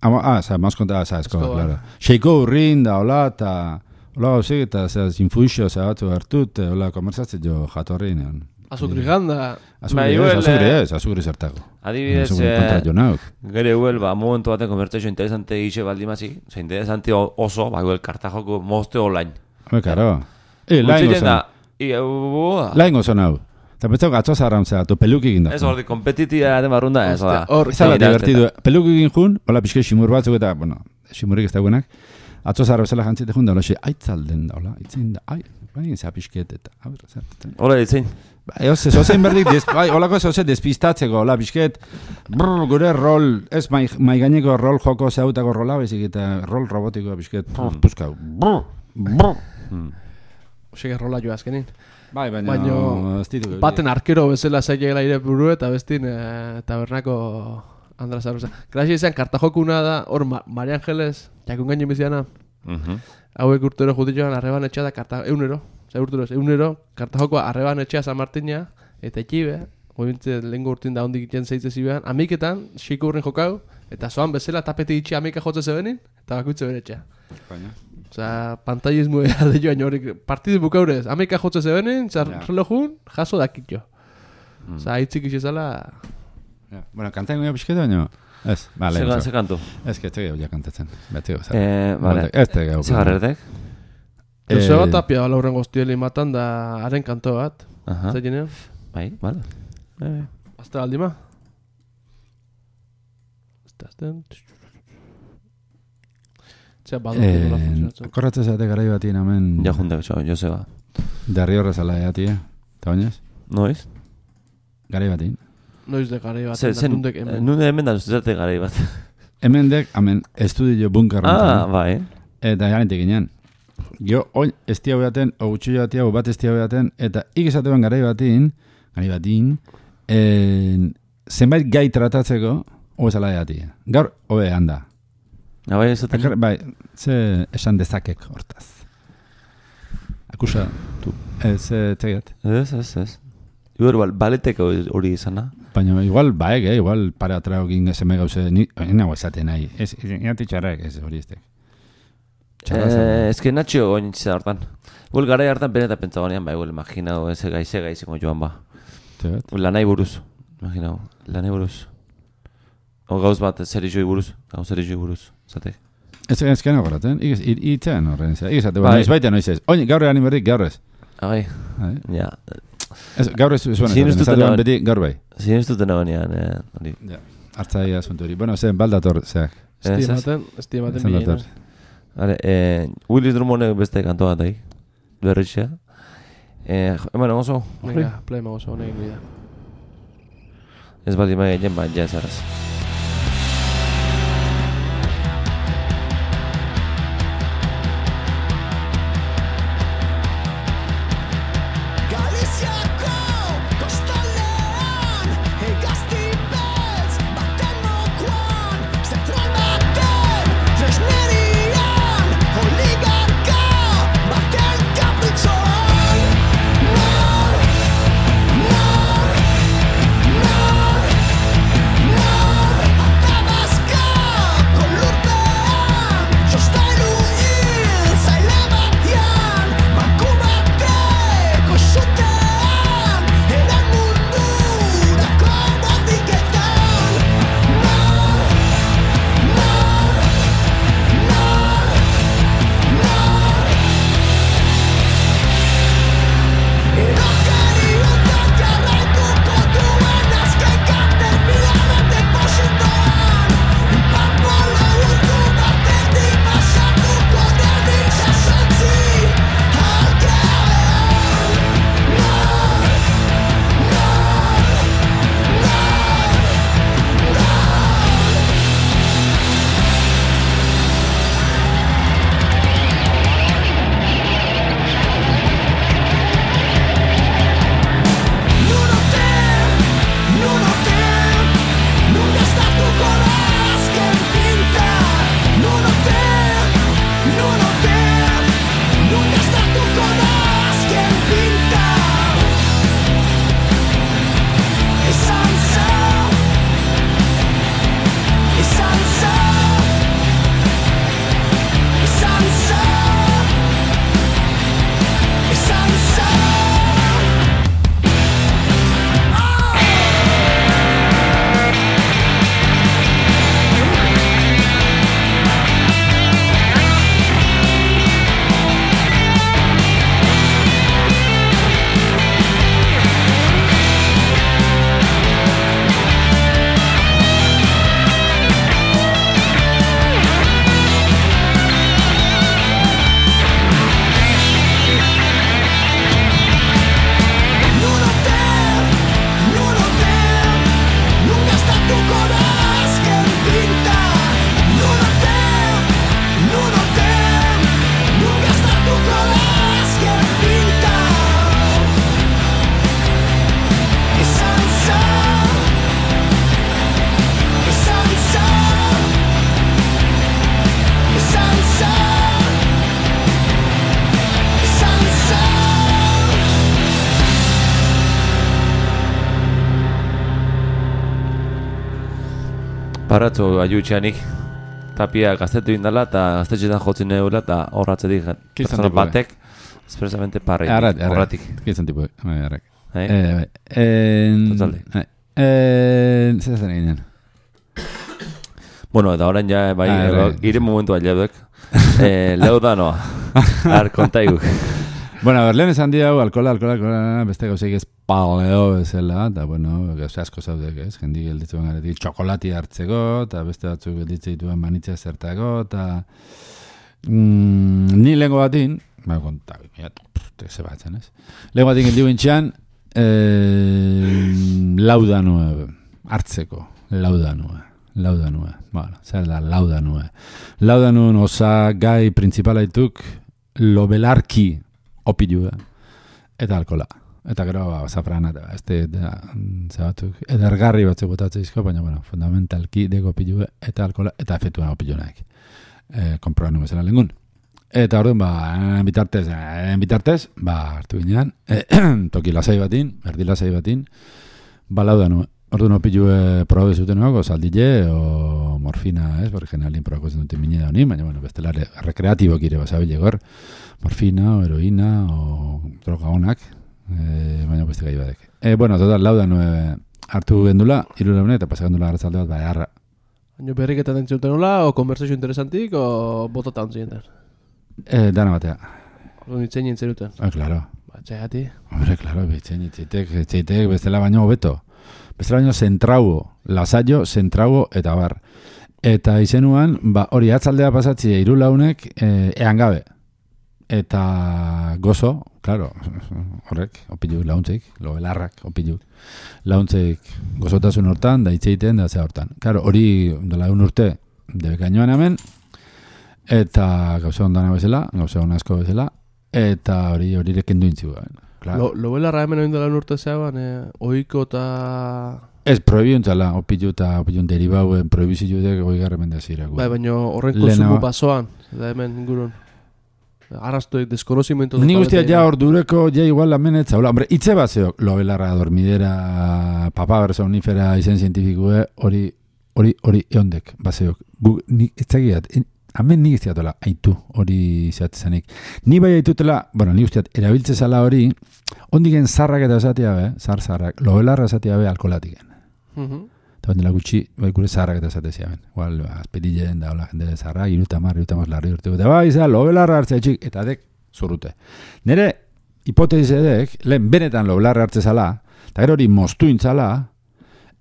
B: Mas konta, eskoba, claro. Xeiko urrin da, hola, eta... Hola, gauzek, eta infuixo batzu hartut, hola, komerzatzen jo jatorrein.
C: Azukri ganda.
B: Azukri zertako.
A: Adibidez, gero eguel, momentu baten konbertsio interesante gize baldimazi, interesante oso, eguel kartajoko mozte olain.
B: Karo. Lain gozon hau. Eta betzak atzo zarran zera, tu peluk egin da.
A: Ez hori, kompetitia den barrunda, ez da.
B: Ez da, divertidu. Peluk egin jun, hola, pixke ximur batzuk eta, ximurik ez da guenak. Atzo zarra bezala jantzite jun da, hola, aitzalden da, hola, itzen da, baina zea pixket eta,
A: hola, itzen.
B: Zozein berdik, holako zoze despistatzeko, hola, pixket, gure rol, ez maigaineko rol joko zehautako rola, bezik eta rol robotikoa pixket, puzkau.
C: Osek rola joa azkenin.
B: Baina
C: baten arkero bezala zaila aire buru eta bestin tabernako Andras Arroza. Gracia izan, kartajokuna da, hor Maria Angeles, jakun gainen biziana. Hauek urtero jutitxoan arreban etxea da, eunero, kartajokoa arreban etxea San Martina, eta etxibe, lehenko urtin da hondik jen zeitzez ibean, amiketan, xiko urren jokau, eta zoan bezala tapeti itxi amika jotze zebenin, eta bakuitze bere etxea. Osa, pantailismo alde joan horik, partidu bukaurez, amika jotze zebenin, relojun, jaso dakitxo. Osa, hitzik izizala...
B: Bueno, kantain goia pixketu baino? Ez, bale.
A: Ze kantu?
B: Ez que este ja kantatzen. Beti goza.
A: Vale.
B: Este gau.
A: Zegarretek?
C: Joseba Tapia lauren goztieli matan da haren kanto bat. Zer ginean?
A: Bai, vale.
C: Azte aldima? Azten... Txea badut.
B: Korratzen zate garai batien hemen...
A: Ja juntek, Joseba.
B: Derri horrezala eatie. Eta bainez?
A: Noiz?
B: Garai batien.
C: Noiz de garai baten.
A: Nunde hemen da zuzate garai bat.
B: Hemen dek, hemen, estudio bunker.
A: Bai.
B: Eta jarentik ginen. Jo, oin, estia behaten, o gutxillo batia, o bat estia behaten, eta ikizatean garai batin, zenbait gai tratatzeko, hobezala eatia. Gaur, hobe handa.
A: Bai, esaten?
B: Bai, ze esan dezakek hortaz. Akusa, tu. Ze tegat?
A: Ez. Igual, baleteko hori izana.
B: Baina, igual, igual, para atrao gin zeme gauze, nago esaten nahi. Ez, inati txarrak, ez hori eztek.
A: Ez que natxio goinitza hortan. Gul gara hartan peneta pentsa gonean, bai, imaginau, eze gaiziko joan ba.
B: Tegat?
A: Lanai buruz, imaginau, lanai buruz. O gauz bat, zerizoi buruz, zatek.
B: Ez kena goraten, itzean horren ez. Igizate, noiz baita noiz ez. Oin, gaur egan inberdik, gaur ez.
A: Bai, ja.
B: Gaur ez zuen ezaten, beti gaur bai.
A: Zineztuten egonean, hori.
B: Artzai asuntu hori. Bueno, zen, baldator, zeak.
C: Estimaten bilean.
A: Vale, Willis Drummonek beste kanto bat ahi. Berritxea. Bueno, oso.
C: Venga, play oso, honekin bida.
A: Ez bali ma egin bat, ja ezaraz. Paratzo aiutxeanik Tapia gaztetu indala eta gaztetxetan jotzen egoela eta horratzetik pertsona batek espresamente horratik.
B: Kizan tipo, arrak.
A: Totalde.
B: Zer zen eginen?
A: Bueno, eta orain ja, bai, gire momentu aliabek. Leudanoa. Kontaiguk.
B: Bueno, a ver, lehen esan diau, alkola, beste gauzeik ez paleo bezala, eta, bueno, gauze asko zaudek, ez? Jendik gelditzen garetik txokolati hartzeko, eta beste batzuk gelditzen dituen manitza zertako, eta ni lehenko batin, kontak, ze batzen, ez? Lehenko batin geldi bintxean, laudanue hartzeko, laudanue, bueno, zer da laudanue. Laudanuen osa gai principalaituk lobelarki opilua eta alkola. Eta gero, zafrana, zabatuk, edergarri batzuk botatzen izko, baina, bueno, fundamentalki dego opilua eta alkola eta efetua opilunaik. Komproban bezala lengun. Eta orduan, bitartez, hartu ginean, toki lasai batin, erdi lasai batin, laudanue. Orduan opilue probe zutenuako, saldile o morfina, ez? Porque generalin probako zen duten mineda honi, baina, bueno, bestela rekreatibok ire basabile gor, morfina, o heroina, o droga honak, baina beste gai badek. Bueno, total, laudanue hartu gendula, 3 laune, eta pasa gendula garratzalde bat, harra.
C: Baina berriketan entzuten nola, o konversazio interesantik, o botota ontzien?
B: Dana batea.
C: Orduan itzen nintzen duten?
B: Claro.
C: Txegati?
B: Hombre, claro, itzeitek bestela baino hobeto. Bestela baino zentrago, lasaio, zentrago eta bar. Eta izenuan, hori atzaldea pasatzi 3 launek ean gabe. Eta gozo, claro, horrek, opiluk launtzeik, lobelarrak opiluk. Launtzeik gozotasun hortan, da itzeiten, da ze hortan. Claro, hori dela 1 urte debekainoan hemen, eta gauza ondana bezala, gauza onazko bezala, eta hori rekendu intzigu. Claro.
C: Lobelarra hemen oin dela 1 urte zeaban, oiko eta...
B: Ez, prohibiuntzala, opilun deribauen prohibiziu dek 20. mendazira.
C: Bai, baina horren konsumo basoan, da hemen ingurun. Arrastoik, deskonozimento...
B: Ni guztiak ja hor dureko, ja igual amenetza. Hombre, itze bat zeok, lobelarra, dormidera, papa somnífera izen zientifikue, hori eondek, bazeok. Ez zagiat, hemen nik iztiatola, aitu, hori zehatzezanik. Ni bai aitutela, bueno, nik usteat, erabiltzezala hori, ondiken zarrak eta esatia be, zarrak, lobelarra esatia be alkolatiken. Eta bandela gutxi, bai gure zarrak eta esatea ben. Igual, azpetilen da, hola, jende zarrak, 30 larri urteko. Eta bai, lobelarra hartzea txik, eta dek, zurrute. Nere, hipotesi edek, lehen benetan lobelarra hartzezala, eta gero hori moztu intzala,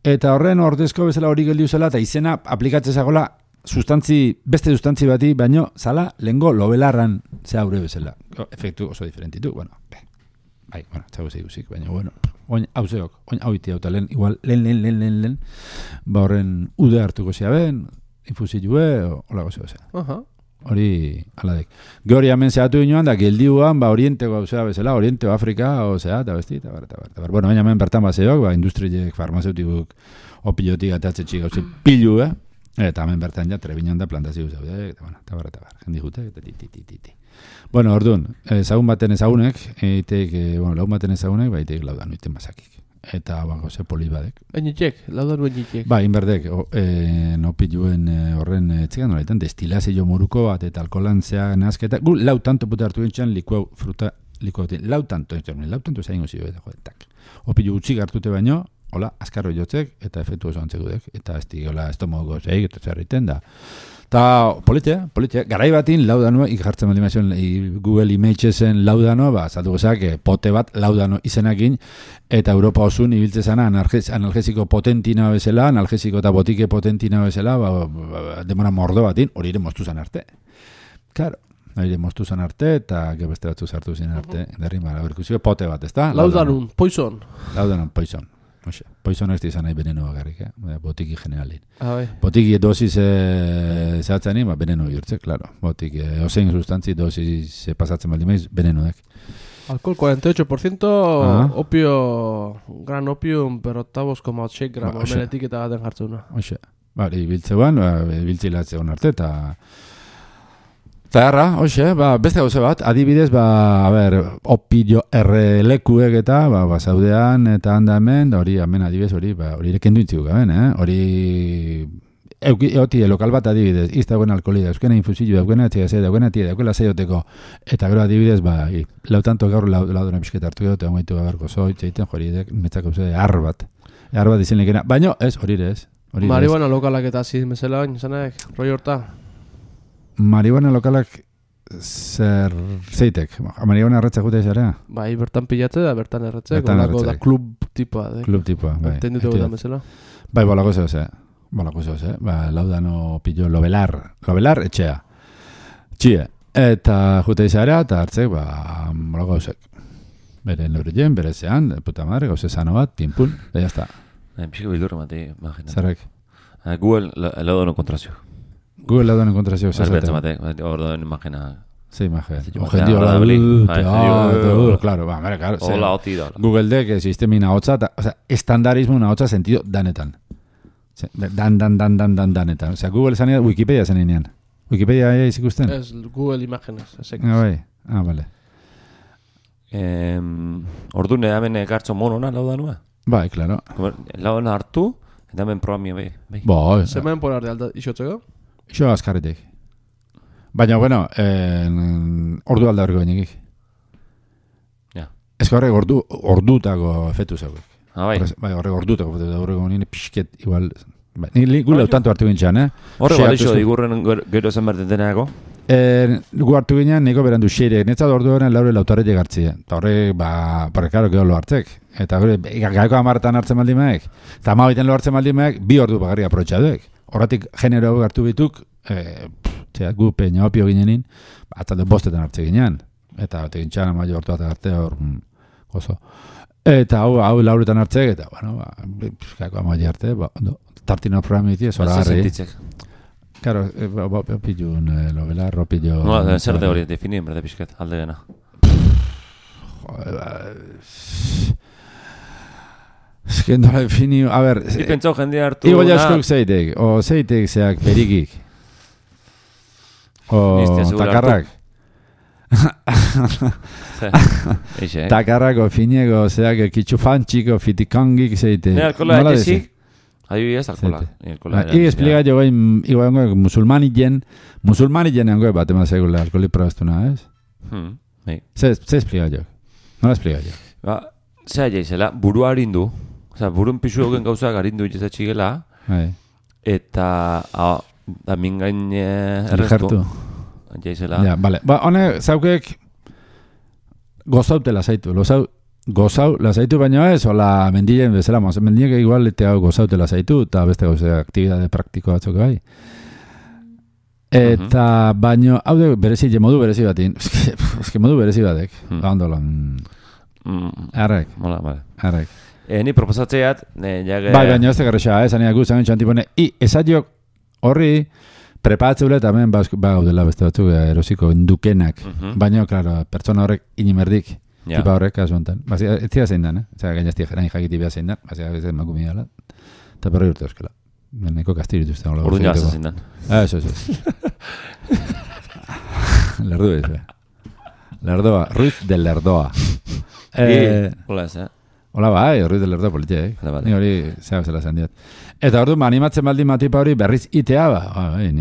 B: eta horren ordezko bezala hori geldiu zela, eta izena aplikatzezagola, beste sustantzi bati, baino, zala, lehengo lobelarran ze aurre bezala. Efektu oso diferentitu, bueno, txago zeiguzik, baina, bueno, oin hau zeok, oin hau iti hauta lehen, igual, lehen, horren ude hartuko zeaben, infusitue, hola gozeo zea. Hori, aladek. Gehori hemen zehatu inoan, da, geldiuan, orienteko hau zea bezala, orienteko Afrika, ozea, eta besti, eta bar. Bueno, baina hemen bertan bazeok, industriek, farmazeutikuk, opilotik atatze txik hau ze pilu, eta hemen bertan ja, trebinan da plantazio zaude, eta bar, jendi jute, eta ti. Bueno, orduan, ezagun baten ezagunek, lagun baten ezagunek, baitek laudanu iten basakik. Eta, goze poli badek.
C: Enitek, laudanu enitek.
B: Inberdek, nopiluen horren, txekan nolaitan, destilazio moruko bat, eta alkolan zea nazketa, gu lau tanto puta hartu gintxan, likuau, fruta, likuau, lau tanto zain gozio, eta jodetak. Opilu gutxik hartute baino, hola, azkarro jotzek, eta efektu oso antzekudek, eta ez hola, estomago zeik, eta zerriten da. Eta, politia, garai batin laudanoa, ikartzen baldimazioan Google Images'en laudanoa, zatu gozak, pote bat laudano izenakin, eta Europa osun ibiltzezana analgesiko potentina bezala, analgesiko eta botike potentina bezala, demora mordo batin, hori ere moztu zan arte. Claro, hori ere moztu zan arte, eta beste batzu zartu zinen arte, derri mara, berkusio pote bat, ez da?
C: Laudanun, poison.
B: Laudanun, poison. Poison ez izan nahi veneno bakarrik, botiki generalin.
C: Bai.
B: Botiki dosis zehatzani, veneno bihurtze, claro. Botiki, ozein sustantzi dosis pasatzen baldin maiz, veneno dek.
C: Alcohol 48%, opio, gran opium, pero 8,8 gramo, hemen etiketa baten jartzuna.
B: Oxe, biltzeuan, biltzilatzen arte, eta... Eta erra, hoxe, beste gauze bat, adibidez, opillo errelekuek eta, zaudean eta handa hemen, hori, hemen adibidez, hori rekendu intziguk, hori, eoti, lokal bat adibidez, izta guen alkoholida, euskena infusillo, daukena etxegazea, daukena tia, daukela zeioteko, eta gero adibidez, lautanto gaur laudona bisketa hartu edo, eta gaitu gaberko zoitz, egiten, hori, metzak gauze, har bat. Egar bat izenlikena. Baina, ez, hori ere ez.
C: Marihuana lokalak eta zin bezala bain, zanak, roi horta.
B: Marihuana lokalak zeitek? Marihuana erretzak jute izarea?
C: Bai, bertan pilatze da, bertan erretzek.
B: Bertan
C: Olako da
B: erretzek.
C: klub tipoa.
B: Klub tipoa, bai.
C: Tenditu da bezala.
B: Bai, bolako zehoz, Ba, laudano pillo lobelar etxea. Txie. Eta jute izarea, eta hartzek, ba, bolako zeuzek. Bere neurien, bere zean, puta madre, gauze sano bat, pimpun, eta jazta.
A: Pixko bildurra mate, imagina.
B: Zerrek?
A: Google laudano kontrazio.
B: Google laudano kontrazio.
A: Albertza mate, ordoen imagina.
B: Sí, imagen.
A: Ojendio
B: Ojendio
A: la
B: claro, va, claro.
A: Hola, otida.
B: Google de sistemina hotza, o sea, estandarismo una hotza sentido danetan. Danetan. O sea, Google zanea Wikipedia zenean. Wikipedia ikusten?
C: Ez Google Imágenes.
B: Bai. Vale.
A: Ordune hemen ekartzo monona laudanua?
B: Bai, claro.
A: Laudana hartu, eta hemen programia bai.
B: Bai.
C: Zemen polar de alta isotzeko?
B: Iso azkarretik. Baina, bueno, ordu alda horreko benikik.
A: Ja.
B: Ez que horrek ordutako efetu zeuek.
A: Bai.
B: Bai, horrek ordutako efetu horreko nire pixket igual... Ni gule tanto hartu gintxan,
A: Horre balixo digurren gero zen berten deneako?
B: Gu hartu ginean, niko berandu xeire. Netzat ordu horren laure lautarret egartzi. Eta horrek, porque claro, gero lo hartzek. Eta gure, gaiko amartan hartzen maldimeek. Eta amabaiten lo hartzen maldimeek, 2 ordu bakarri aprotxaduek. Horretik genero hartu bituk, gu peina opio ginenin, atzalde 5 hartze ginean. Eta bate gintxan, amaio hortu bat arte hor, gozo. Eta hau lauretan hartzek, eta, bueno, gaiko amaio arte, tartino programitik, ez hori harri. Claro, pillun, lobelar, pillo...
A: No, zer de hori, definien berde pixket, alde gena.
B: Ez que nola definio... A ver...
A: Ni pentsau jendea hartu...
B: Igo jaskok zeitek, o zeitek zeak perikik. O takarrak. Takarrak o finiego zeak kitxufantxik o fitikangik zeitek.
A: Ne, alkola etxezik... Adibidez, alkola.
B: Ig espliga jo gain, igual musulmanien engo bat eman segule alkoli probastuna, ez? Se espliga jo. Nola espliga jo.
A: Ba, zea jaizela, burua harindu. Osa, burun pixu eugen gauzak harindu itxezatxigela. Eta, da mingain errestu. Jaizela.
B: Ja, vale. Ba, hone, zaukek gozautela zaitu. Gozau lasaitu baino ez, hola mendien bezala, mendiek igual eta gozaute lasaitu, eta beste gauze aktibitate praktiko batzuk bai. Eta baino, hau de berezi, modu berezi batin, eske modu berezi batek, ondolan. Arrek.
A: Mola, bale.
B: Arrek.
A: Ni proposatzeat, jage...
B: Bai, baino ez tegarrexa, zaniak guztan txantipone, esatiok horri, preparatzeu eta hemen ba gaudela beste batzuk erosiko dukenak, baino, klaro, pertsona horrek inimerdik. Tipa horrek, kasu enten. Ez tira zein dan, Osea, gainazti erain jakiti behar zein dan. Basea, ez makumi dala. Eta perro urte euskela. Neko kastiru dituzten.
A: Orduan jazta zein dan.
B: Eso. Lerdu ez, Lerdoa. Ruiz de Lerdoa.
A: Hola ez,
B: Hola bai, Ruiz de Lerdoa politia, Ni hori, zera bezala zen diat. Eta orduan, animatzen baldin matipa hori berriz itea, bai,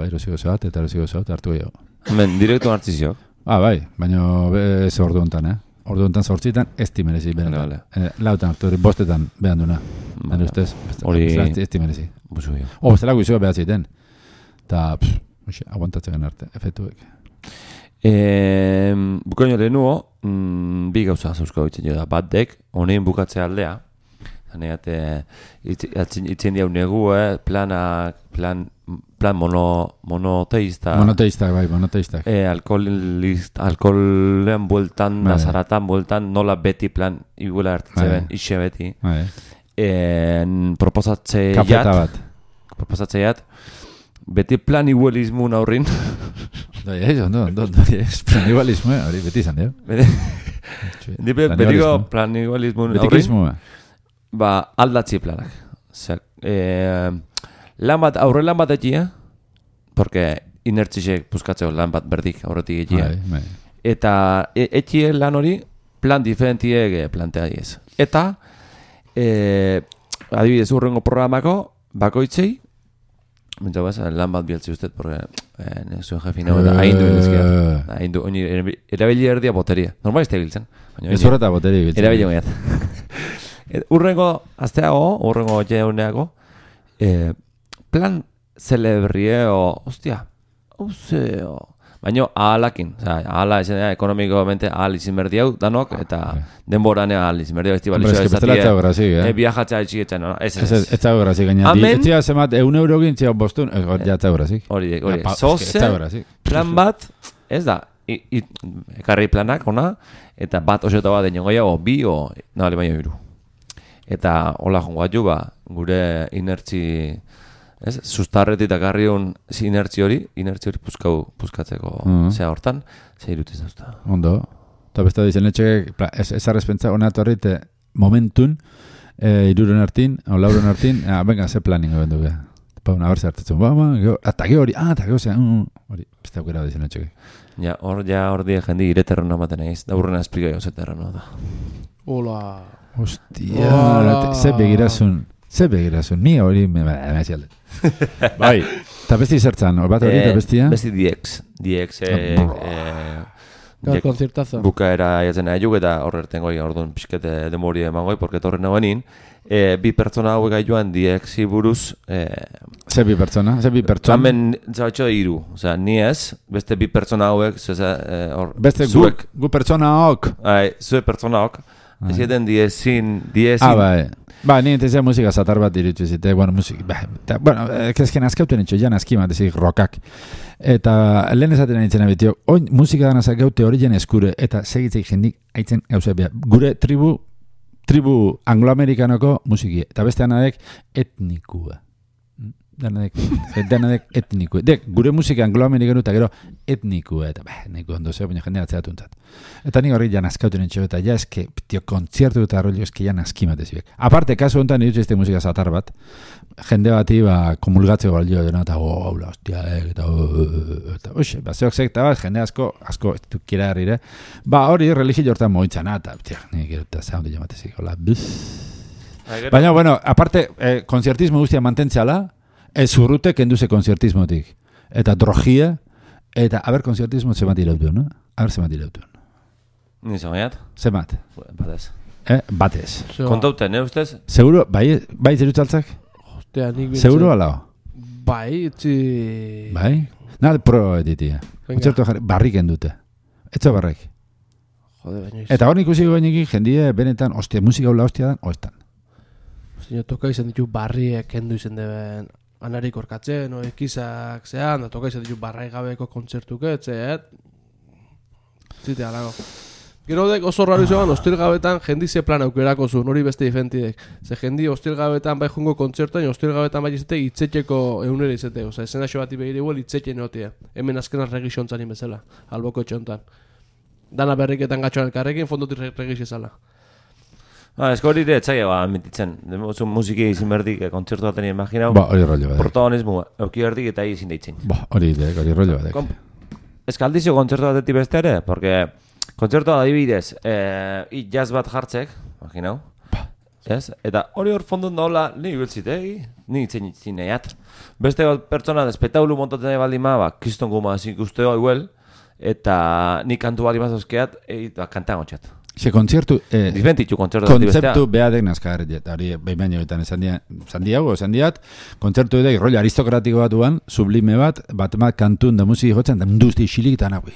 B: erosiko zoat, eta erosiko zoat, hartu gehiago.
A: Hemen, direktu hartzizio.
B: Bai, baina ez ordu honetan, Ordu honetan 8 ez ti merezi, benetan. Lautan hartu hori, 5 behan duna. Nire ustez, ez ti merezi. Bestela guizua behar ziten. Eta, aguantatzen gen arte, efektuek.
A: Bukaino lehenuo, bi gauza zauzko bitzen jo da. Batek, honein bukatze aldea, itzen diau negu, plan monoteista.
B: Monoteista.
A: Alkoholen bueltan, nazaratan bueltan, nola beti plan iguela hartzen, ise beti. Proposatzeiat, beti plan igualismun aurrin.
B: Ondo, plan igualismu, hori beti izan,
A: Betiko plan igualismun aurrin. Ba, aldatzi planak. Aurre lan bat egia, porque inertzisek puzkatzeo lan bat berdik aurretik egia. Eta etxie lan hori plan diferentiek plantea diez. Eta, adibidez urrengo programako, bakoitzei, lan bat bialtzi usted, porque zuen jefina haindu indizkia. Haindu, erabili erdia boteria. Normal ez da biltzen.
B: Ez horreta boteria biltzen.
A: Erabili gaiat. Urrengo azteago, urrengo jeuneago, plan celebrio, hostia, baina ahalakin, ahala izan da, ekonomikomente ahal izin berdi hau, danok, eta denborane ahal izin berdi hau, estibalizioa ezatie, biajatzea etxiketzen,
B: ez zago grazik, gaina, etzia zemat, €1 gintzia bostun, ja zago grazik.
A: Hori, zoze, plan bat, ez da, ekarri planak, ona, eta bat osota bat denio goiago, bi, nabale baino iru. Eta hola jongo atu, gure inertzi, sustarretik eta garriun inertzi hori puzkatzeko zea hortan, ze irutiz dauzta.
B: Ondo. Eta besta dizen etxek, ez arrezpentza, honatu horreit, momentun, iruren hartin, o lauren hartin, venga, ze planing gobendu beha. Una berse hartatzen, eta gero hori, eta gero zean, hori, besta aukera dizen etxek.
A: Ja, hor die jendi ireterron amaten egin, da burrena esplika jo zeterron, da.
C: Hola.
B: Hostia, ze begirazun, ni hori me zialde. Bai, eta besti zertzan, bat hori eta bestia?
A: Besti DX,
C: konzertazo.
A: Bukaera jatzen nahi eta horrerten goi, orduan pixkete demori eman goi, porque torren nagoenin, bi pertsona hauek gaituan DX-i buruz...
B: Ze bi pertsona?
A: Hemen zabatxo iru, osea, ni ez, beste bi pertsona hauek,
B: beste gu pertsona hok.
A: Zue pertsona hok, ez egiten diezin...
B: Ni entezia musika zatar bat diritzu zite, kezken azkauten etxo, jan azki bat ezik rockak. Eta lehen esaten nintzen abitio, oin musika dana zakaute hori jen eskure, eta segitzeik jendik haitzen gauza behar. Gure tribu angloamerikanoko musiki, eta beste anadek etnikua. Danadek etnikua. Gure musika angloamerikanu eta gero etnikua, eta neko ondo zeo, baina jendea atzeatuntzat. Eta nik horri jan azkauten etxo, eta ja eske, kontzertu eta arrollo eske jan azkimatezibek. Aparte, kasu honetan nirutzu izte musika zatar bat, jende bati komulgatzeko balio dena, eta haula, hostia, eta oixe, zeok sekta bat, jende asko kira herrire, hori religi jortan moitzana, eta nik eta zaundi jamatezik, hola, baina, bueno, aparte, konzertismo guztia mantentzeala, ez urrute kenduze konzertismotik. Eta drogia, eta haber konzertismo zemat irautuen, no? Haber zemat irautuen.
A: Ni zemaiat?
B: Zemat?
A: Batez.
B: Batez.
A: Kontauten, ustez?
B: Seguro, bai zerutzaltzak?
C: Hostia, nik bintzen.
B: Seguro alao?
C: Bai, etzi...
B: Bai? Nada, pro editia. Kontzertu barrik endute. Etzo barrik.
C: Jode, baina
B: eta hor nik usiko gainekin, jendie benetan, musika hula hostia dan, oestan.
C: Hostia, toka izan ditu barriek kendu izan deben... Anarik orkatzen, ekizak zean, da toka izan ditu barrai gabeko kontzertuket, zite alago. Gero dek oso raro izan, ostil gabetan jendi ze plan aukerako zuen, hori beste difentidek. Ze jendi ostil gabetan bai jungo kontzertuan, ostil gabetan bai izate itzetxeko eunera izate. Osa, esen aso bati behire igual itzetxe neotia. Hemen azken arregixontzanin bezala, alboko etxontan. Dana berriketan gatxoan elkarrekin, fondotik regixi zala.
A: Ez hori ere etzaia admititzen. Musiki izin berdik kontzertu baten imaginau.
B: Hori rollo badek.
A: Protagonismo, euki berdik eta izin deitzen.
B: Hori rollo badek.
A: Ez kaldizio kontzertu batetik beste ere, porque kontzertu adibidez, jazz bat jartzek, imaginau. Eta hori hor fondun daula, ni biltzitegi, ni itzen nahiat. Beste pertsona despetaulu montatzen baldin ma, kriston guma ikusteoa igual, eta ni kantu baldin mazozkeat, kantan gotxat.
B: Se kontzertu...
A: kontzertu
B: behadek nazkagarret, hori behin joetan esan diat, kontzertu edek rollo aristokratiko bat duan, sublime bat kantun da musiki jotzen, da munduzti xilik eta nago,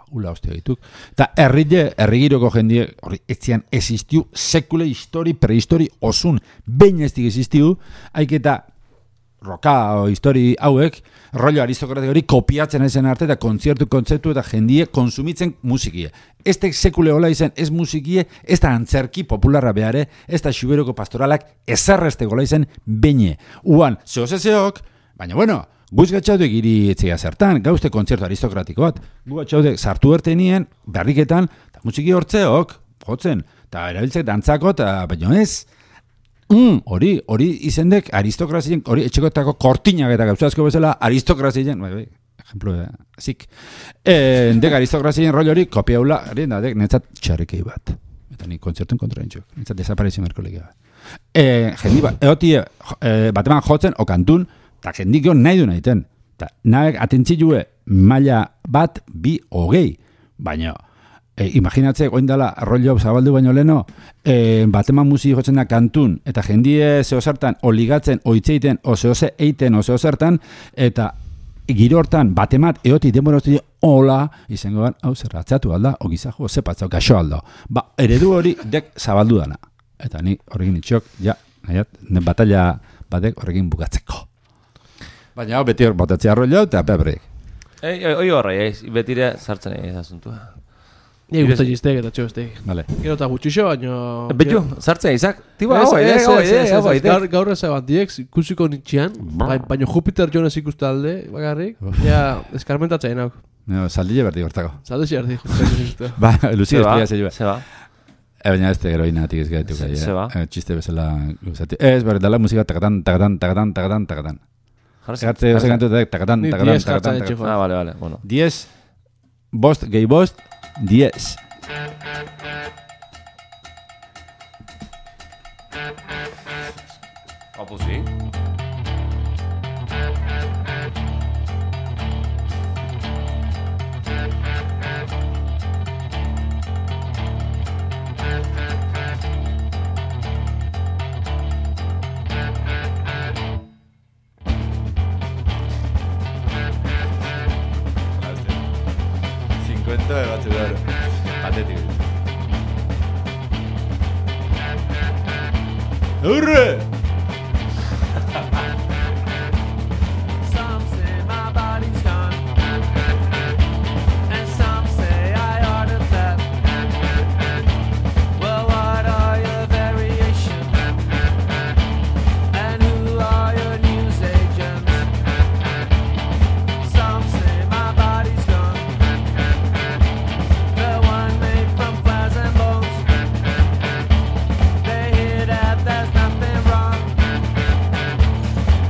B: ula hostia dituk. Eta errigiroko jendie, hori etzian existiu, sekule, prehistori, osun, behin ez dik existiu, haiketa roka o histori hauek, rollo aristokratiko hori kopiatzen ezen arte eta kontzertu eta jendie konsumitzen musikie. Ez tek sekule hola izan, ez musikie, ez da antzerki popularra behare, ez da xuberoko pastoralak ezarrezte gola izan beine. Uan, zeok, baina bueno, guz gatxaudek iri etzea zertan, gauzte kontzertu aristokratiko bat, gu gatxaudek sartu ertenien, berriketan, eta musiki hortzeok, jotzen, eta erabiltzek dantzako, eta baina ez, hori izendek aristokrazien, hori etxekotako kortinak eta gauzazko bezala aristokrazien, ejemplo, zik, dek aristokrazien rol hori kopiaula, dek netzat txarrikei bat. Eta ni kontzertuen kontra nintxok, netzat desaparizio merkolegia bat. Jendi bat, egotie bateman jotzen, o kantun, eta jendikio nahi du nahiten. Eta nahi atentzilue maila bat, 2, 20, baina Imaginatze, oindala, rollo zabaldu baino leno, bateman musiki jotzen da kantun, eta jendie zehozartan, oligatzen, oitzeiten, ozeoze eiten, ozeozartan, eta giro hortan, batemat, eoti, denbora hola, izango ban, hau zer, atzatu alda, ogizajo, zepatzau, gaxo alda. Ba, eredu hori dek zabaldu dana. Eta ni horrekin itxok, ja, batalla batek horrekin bukatzeko. Baina hau beti hor botatzea rollo eta pebrek.
A: Oi horre, betire sartzen egin asuntua.
C: Ni gusta jistek eta txostek.
B: Vale.
C: Gero eta gutxixo, baino...
A: Betu, sartzen izak. Tiba, hau
C: gaur ez eban diek, ikusiko nitxian, baino Jupiter Jones ikustalde, bakarrik, ja, eskarmentatzen nauk.
B: No, saldile berdi hortako.
C: Saldile berdi, justu.
B: Ba, Lucia espria ze
A: Se va.
B: Baina ez heroinatik ez gaitu gai.
A: Se va.
B: Txiste bezala guzati. Ez, berda la musika takatan. Jartze oso kantu takatan.
A: Ah, vale, bueno.
B: 10 bost, gehi bost, 10.
A: Ah, pues sí.
B: De batzugar. Patetik. Hurre!
D: Some say my body's gone, and some say I ought to that. Well, what are your variations? And who are your news agents? Some say my body's gone, the one made from flesh and bones. They hear that there's nothing wrong.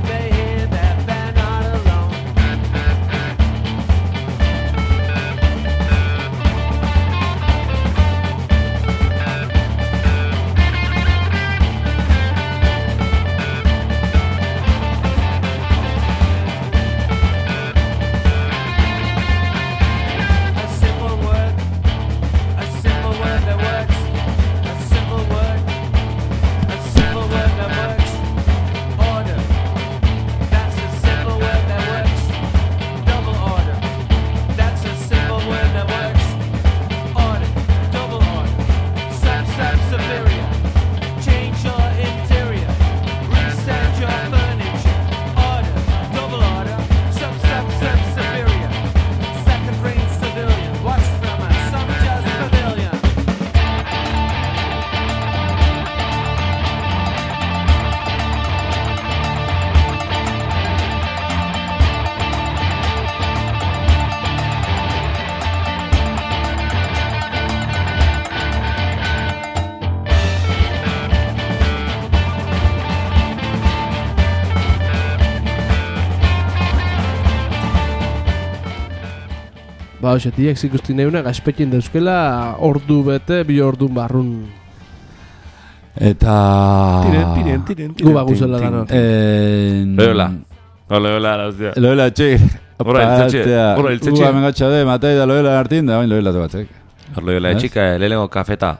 D: They hear that they're not alone. A simple word that works. A simple word that works. Order. That's a simple word that works. Double order. That's a simple word that works. Order. Double order. Superior. Change your interior. Reset your furniture. Order. Double order. Superior. Second rate civilian. Watch from a some-just pavilion.
C: Ba, hoxe, diek zikusti neuna, gazpekin dauzkela, ordu bete, 2 ordun barrun.
B: Eta...
A: Tiren.
C: Gu baguzela dano.
A: Leola, hostia.
B: Loela txik.
A: Horra iltzetxe.
B: Uga mengatxa de, Matei da Loela hartin, da bain Loela tobatzek.
A: Leola txika, lehenengo kafeta.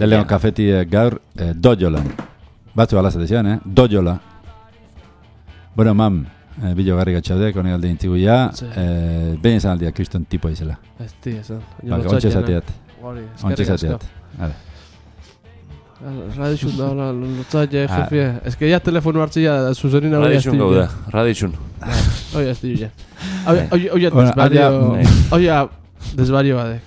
B: Lehenengo kafeti gaur dojolan. Batzu alazat ezean, dojola. Bueno, mam, bilo garri gatxaudek, honek alde intzigu ja, behin esan aldia kriston tipo izela.
C: Esti, esan.
B: Ontsa esateat. Ontsa esateat.
C: Radixun da, lotzatxe, jefie. Ez que ya telefonu hartzia zuzenin hau
A: Radixun gauda, radixun.
C: Oia, ez dira. Oia, desbario badek.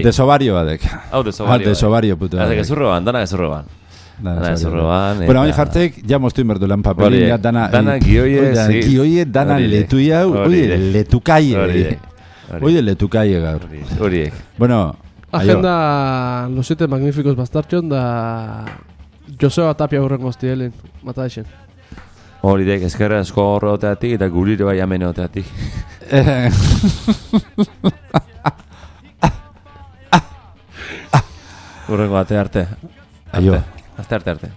B: Desovario badek.
A: Hau desovario.
B: Desovario, puto.
A: Dana gezurro ban.
B: Bueno, hain jartek, ja moztu inberdu lan papelin, ja dana gioie, dana letuia, oide, letukaie. Oide, letukaie gaur.
A: Horiek.
B: Bueno,
C: agenda Los 7 Magníficos Bastartxon da Joseba Tapia hurren goztielen, mata esen.
A: Horiek, eskerra esko horre oteatik eta gurire bai amene oteatik. Hurrengo ate arte.
B: Aio.
A: Azte arte.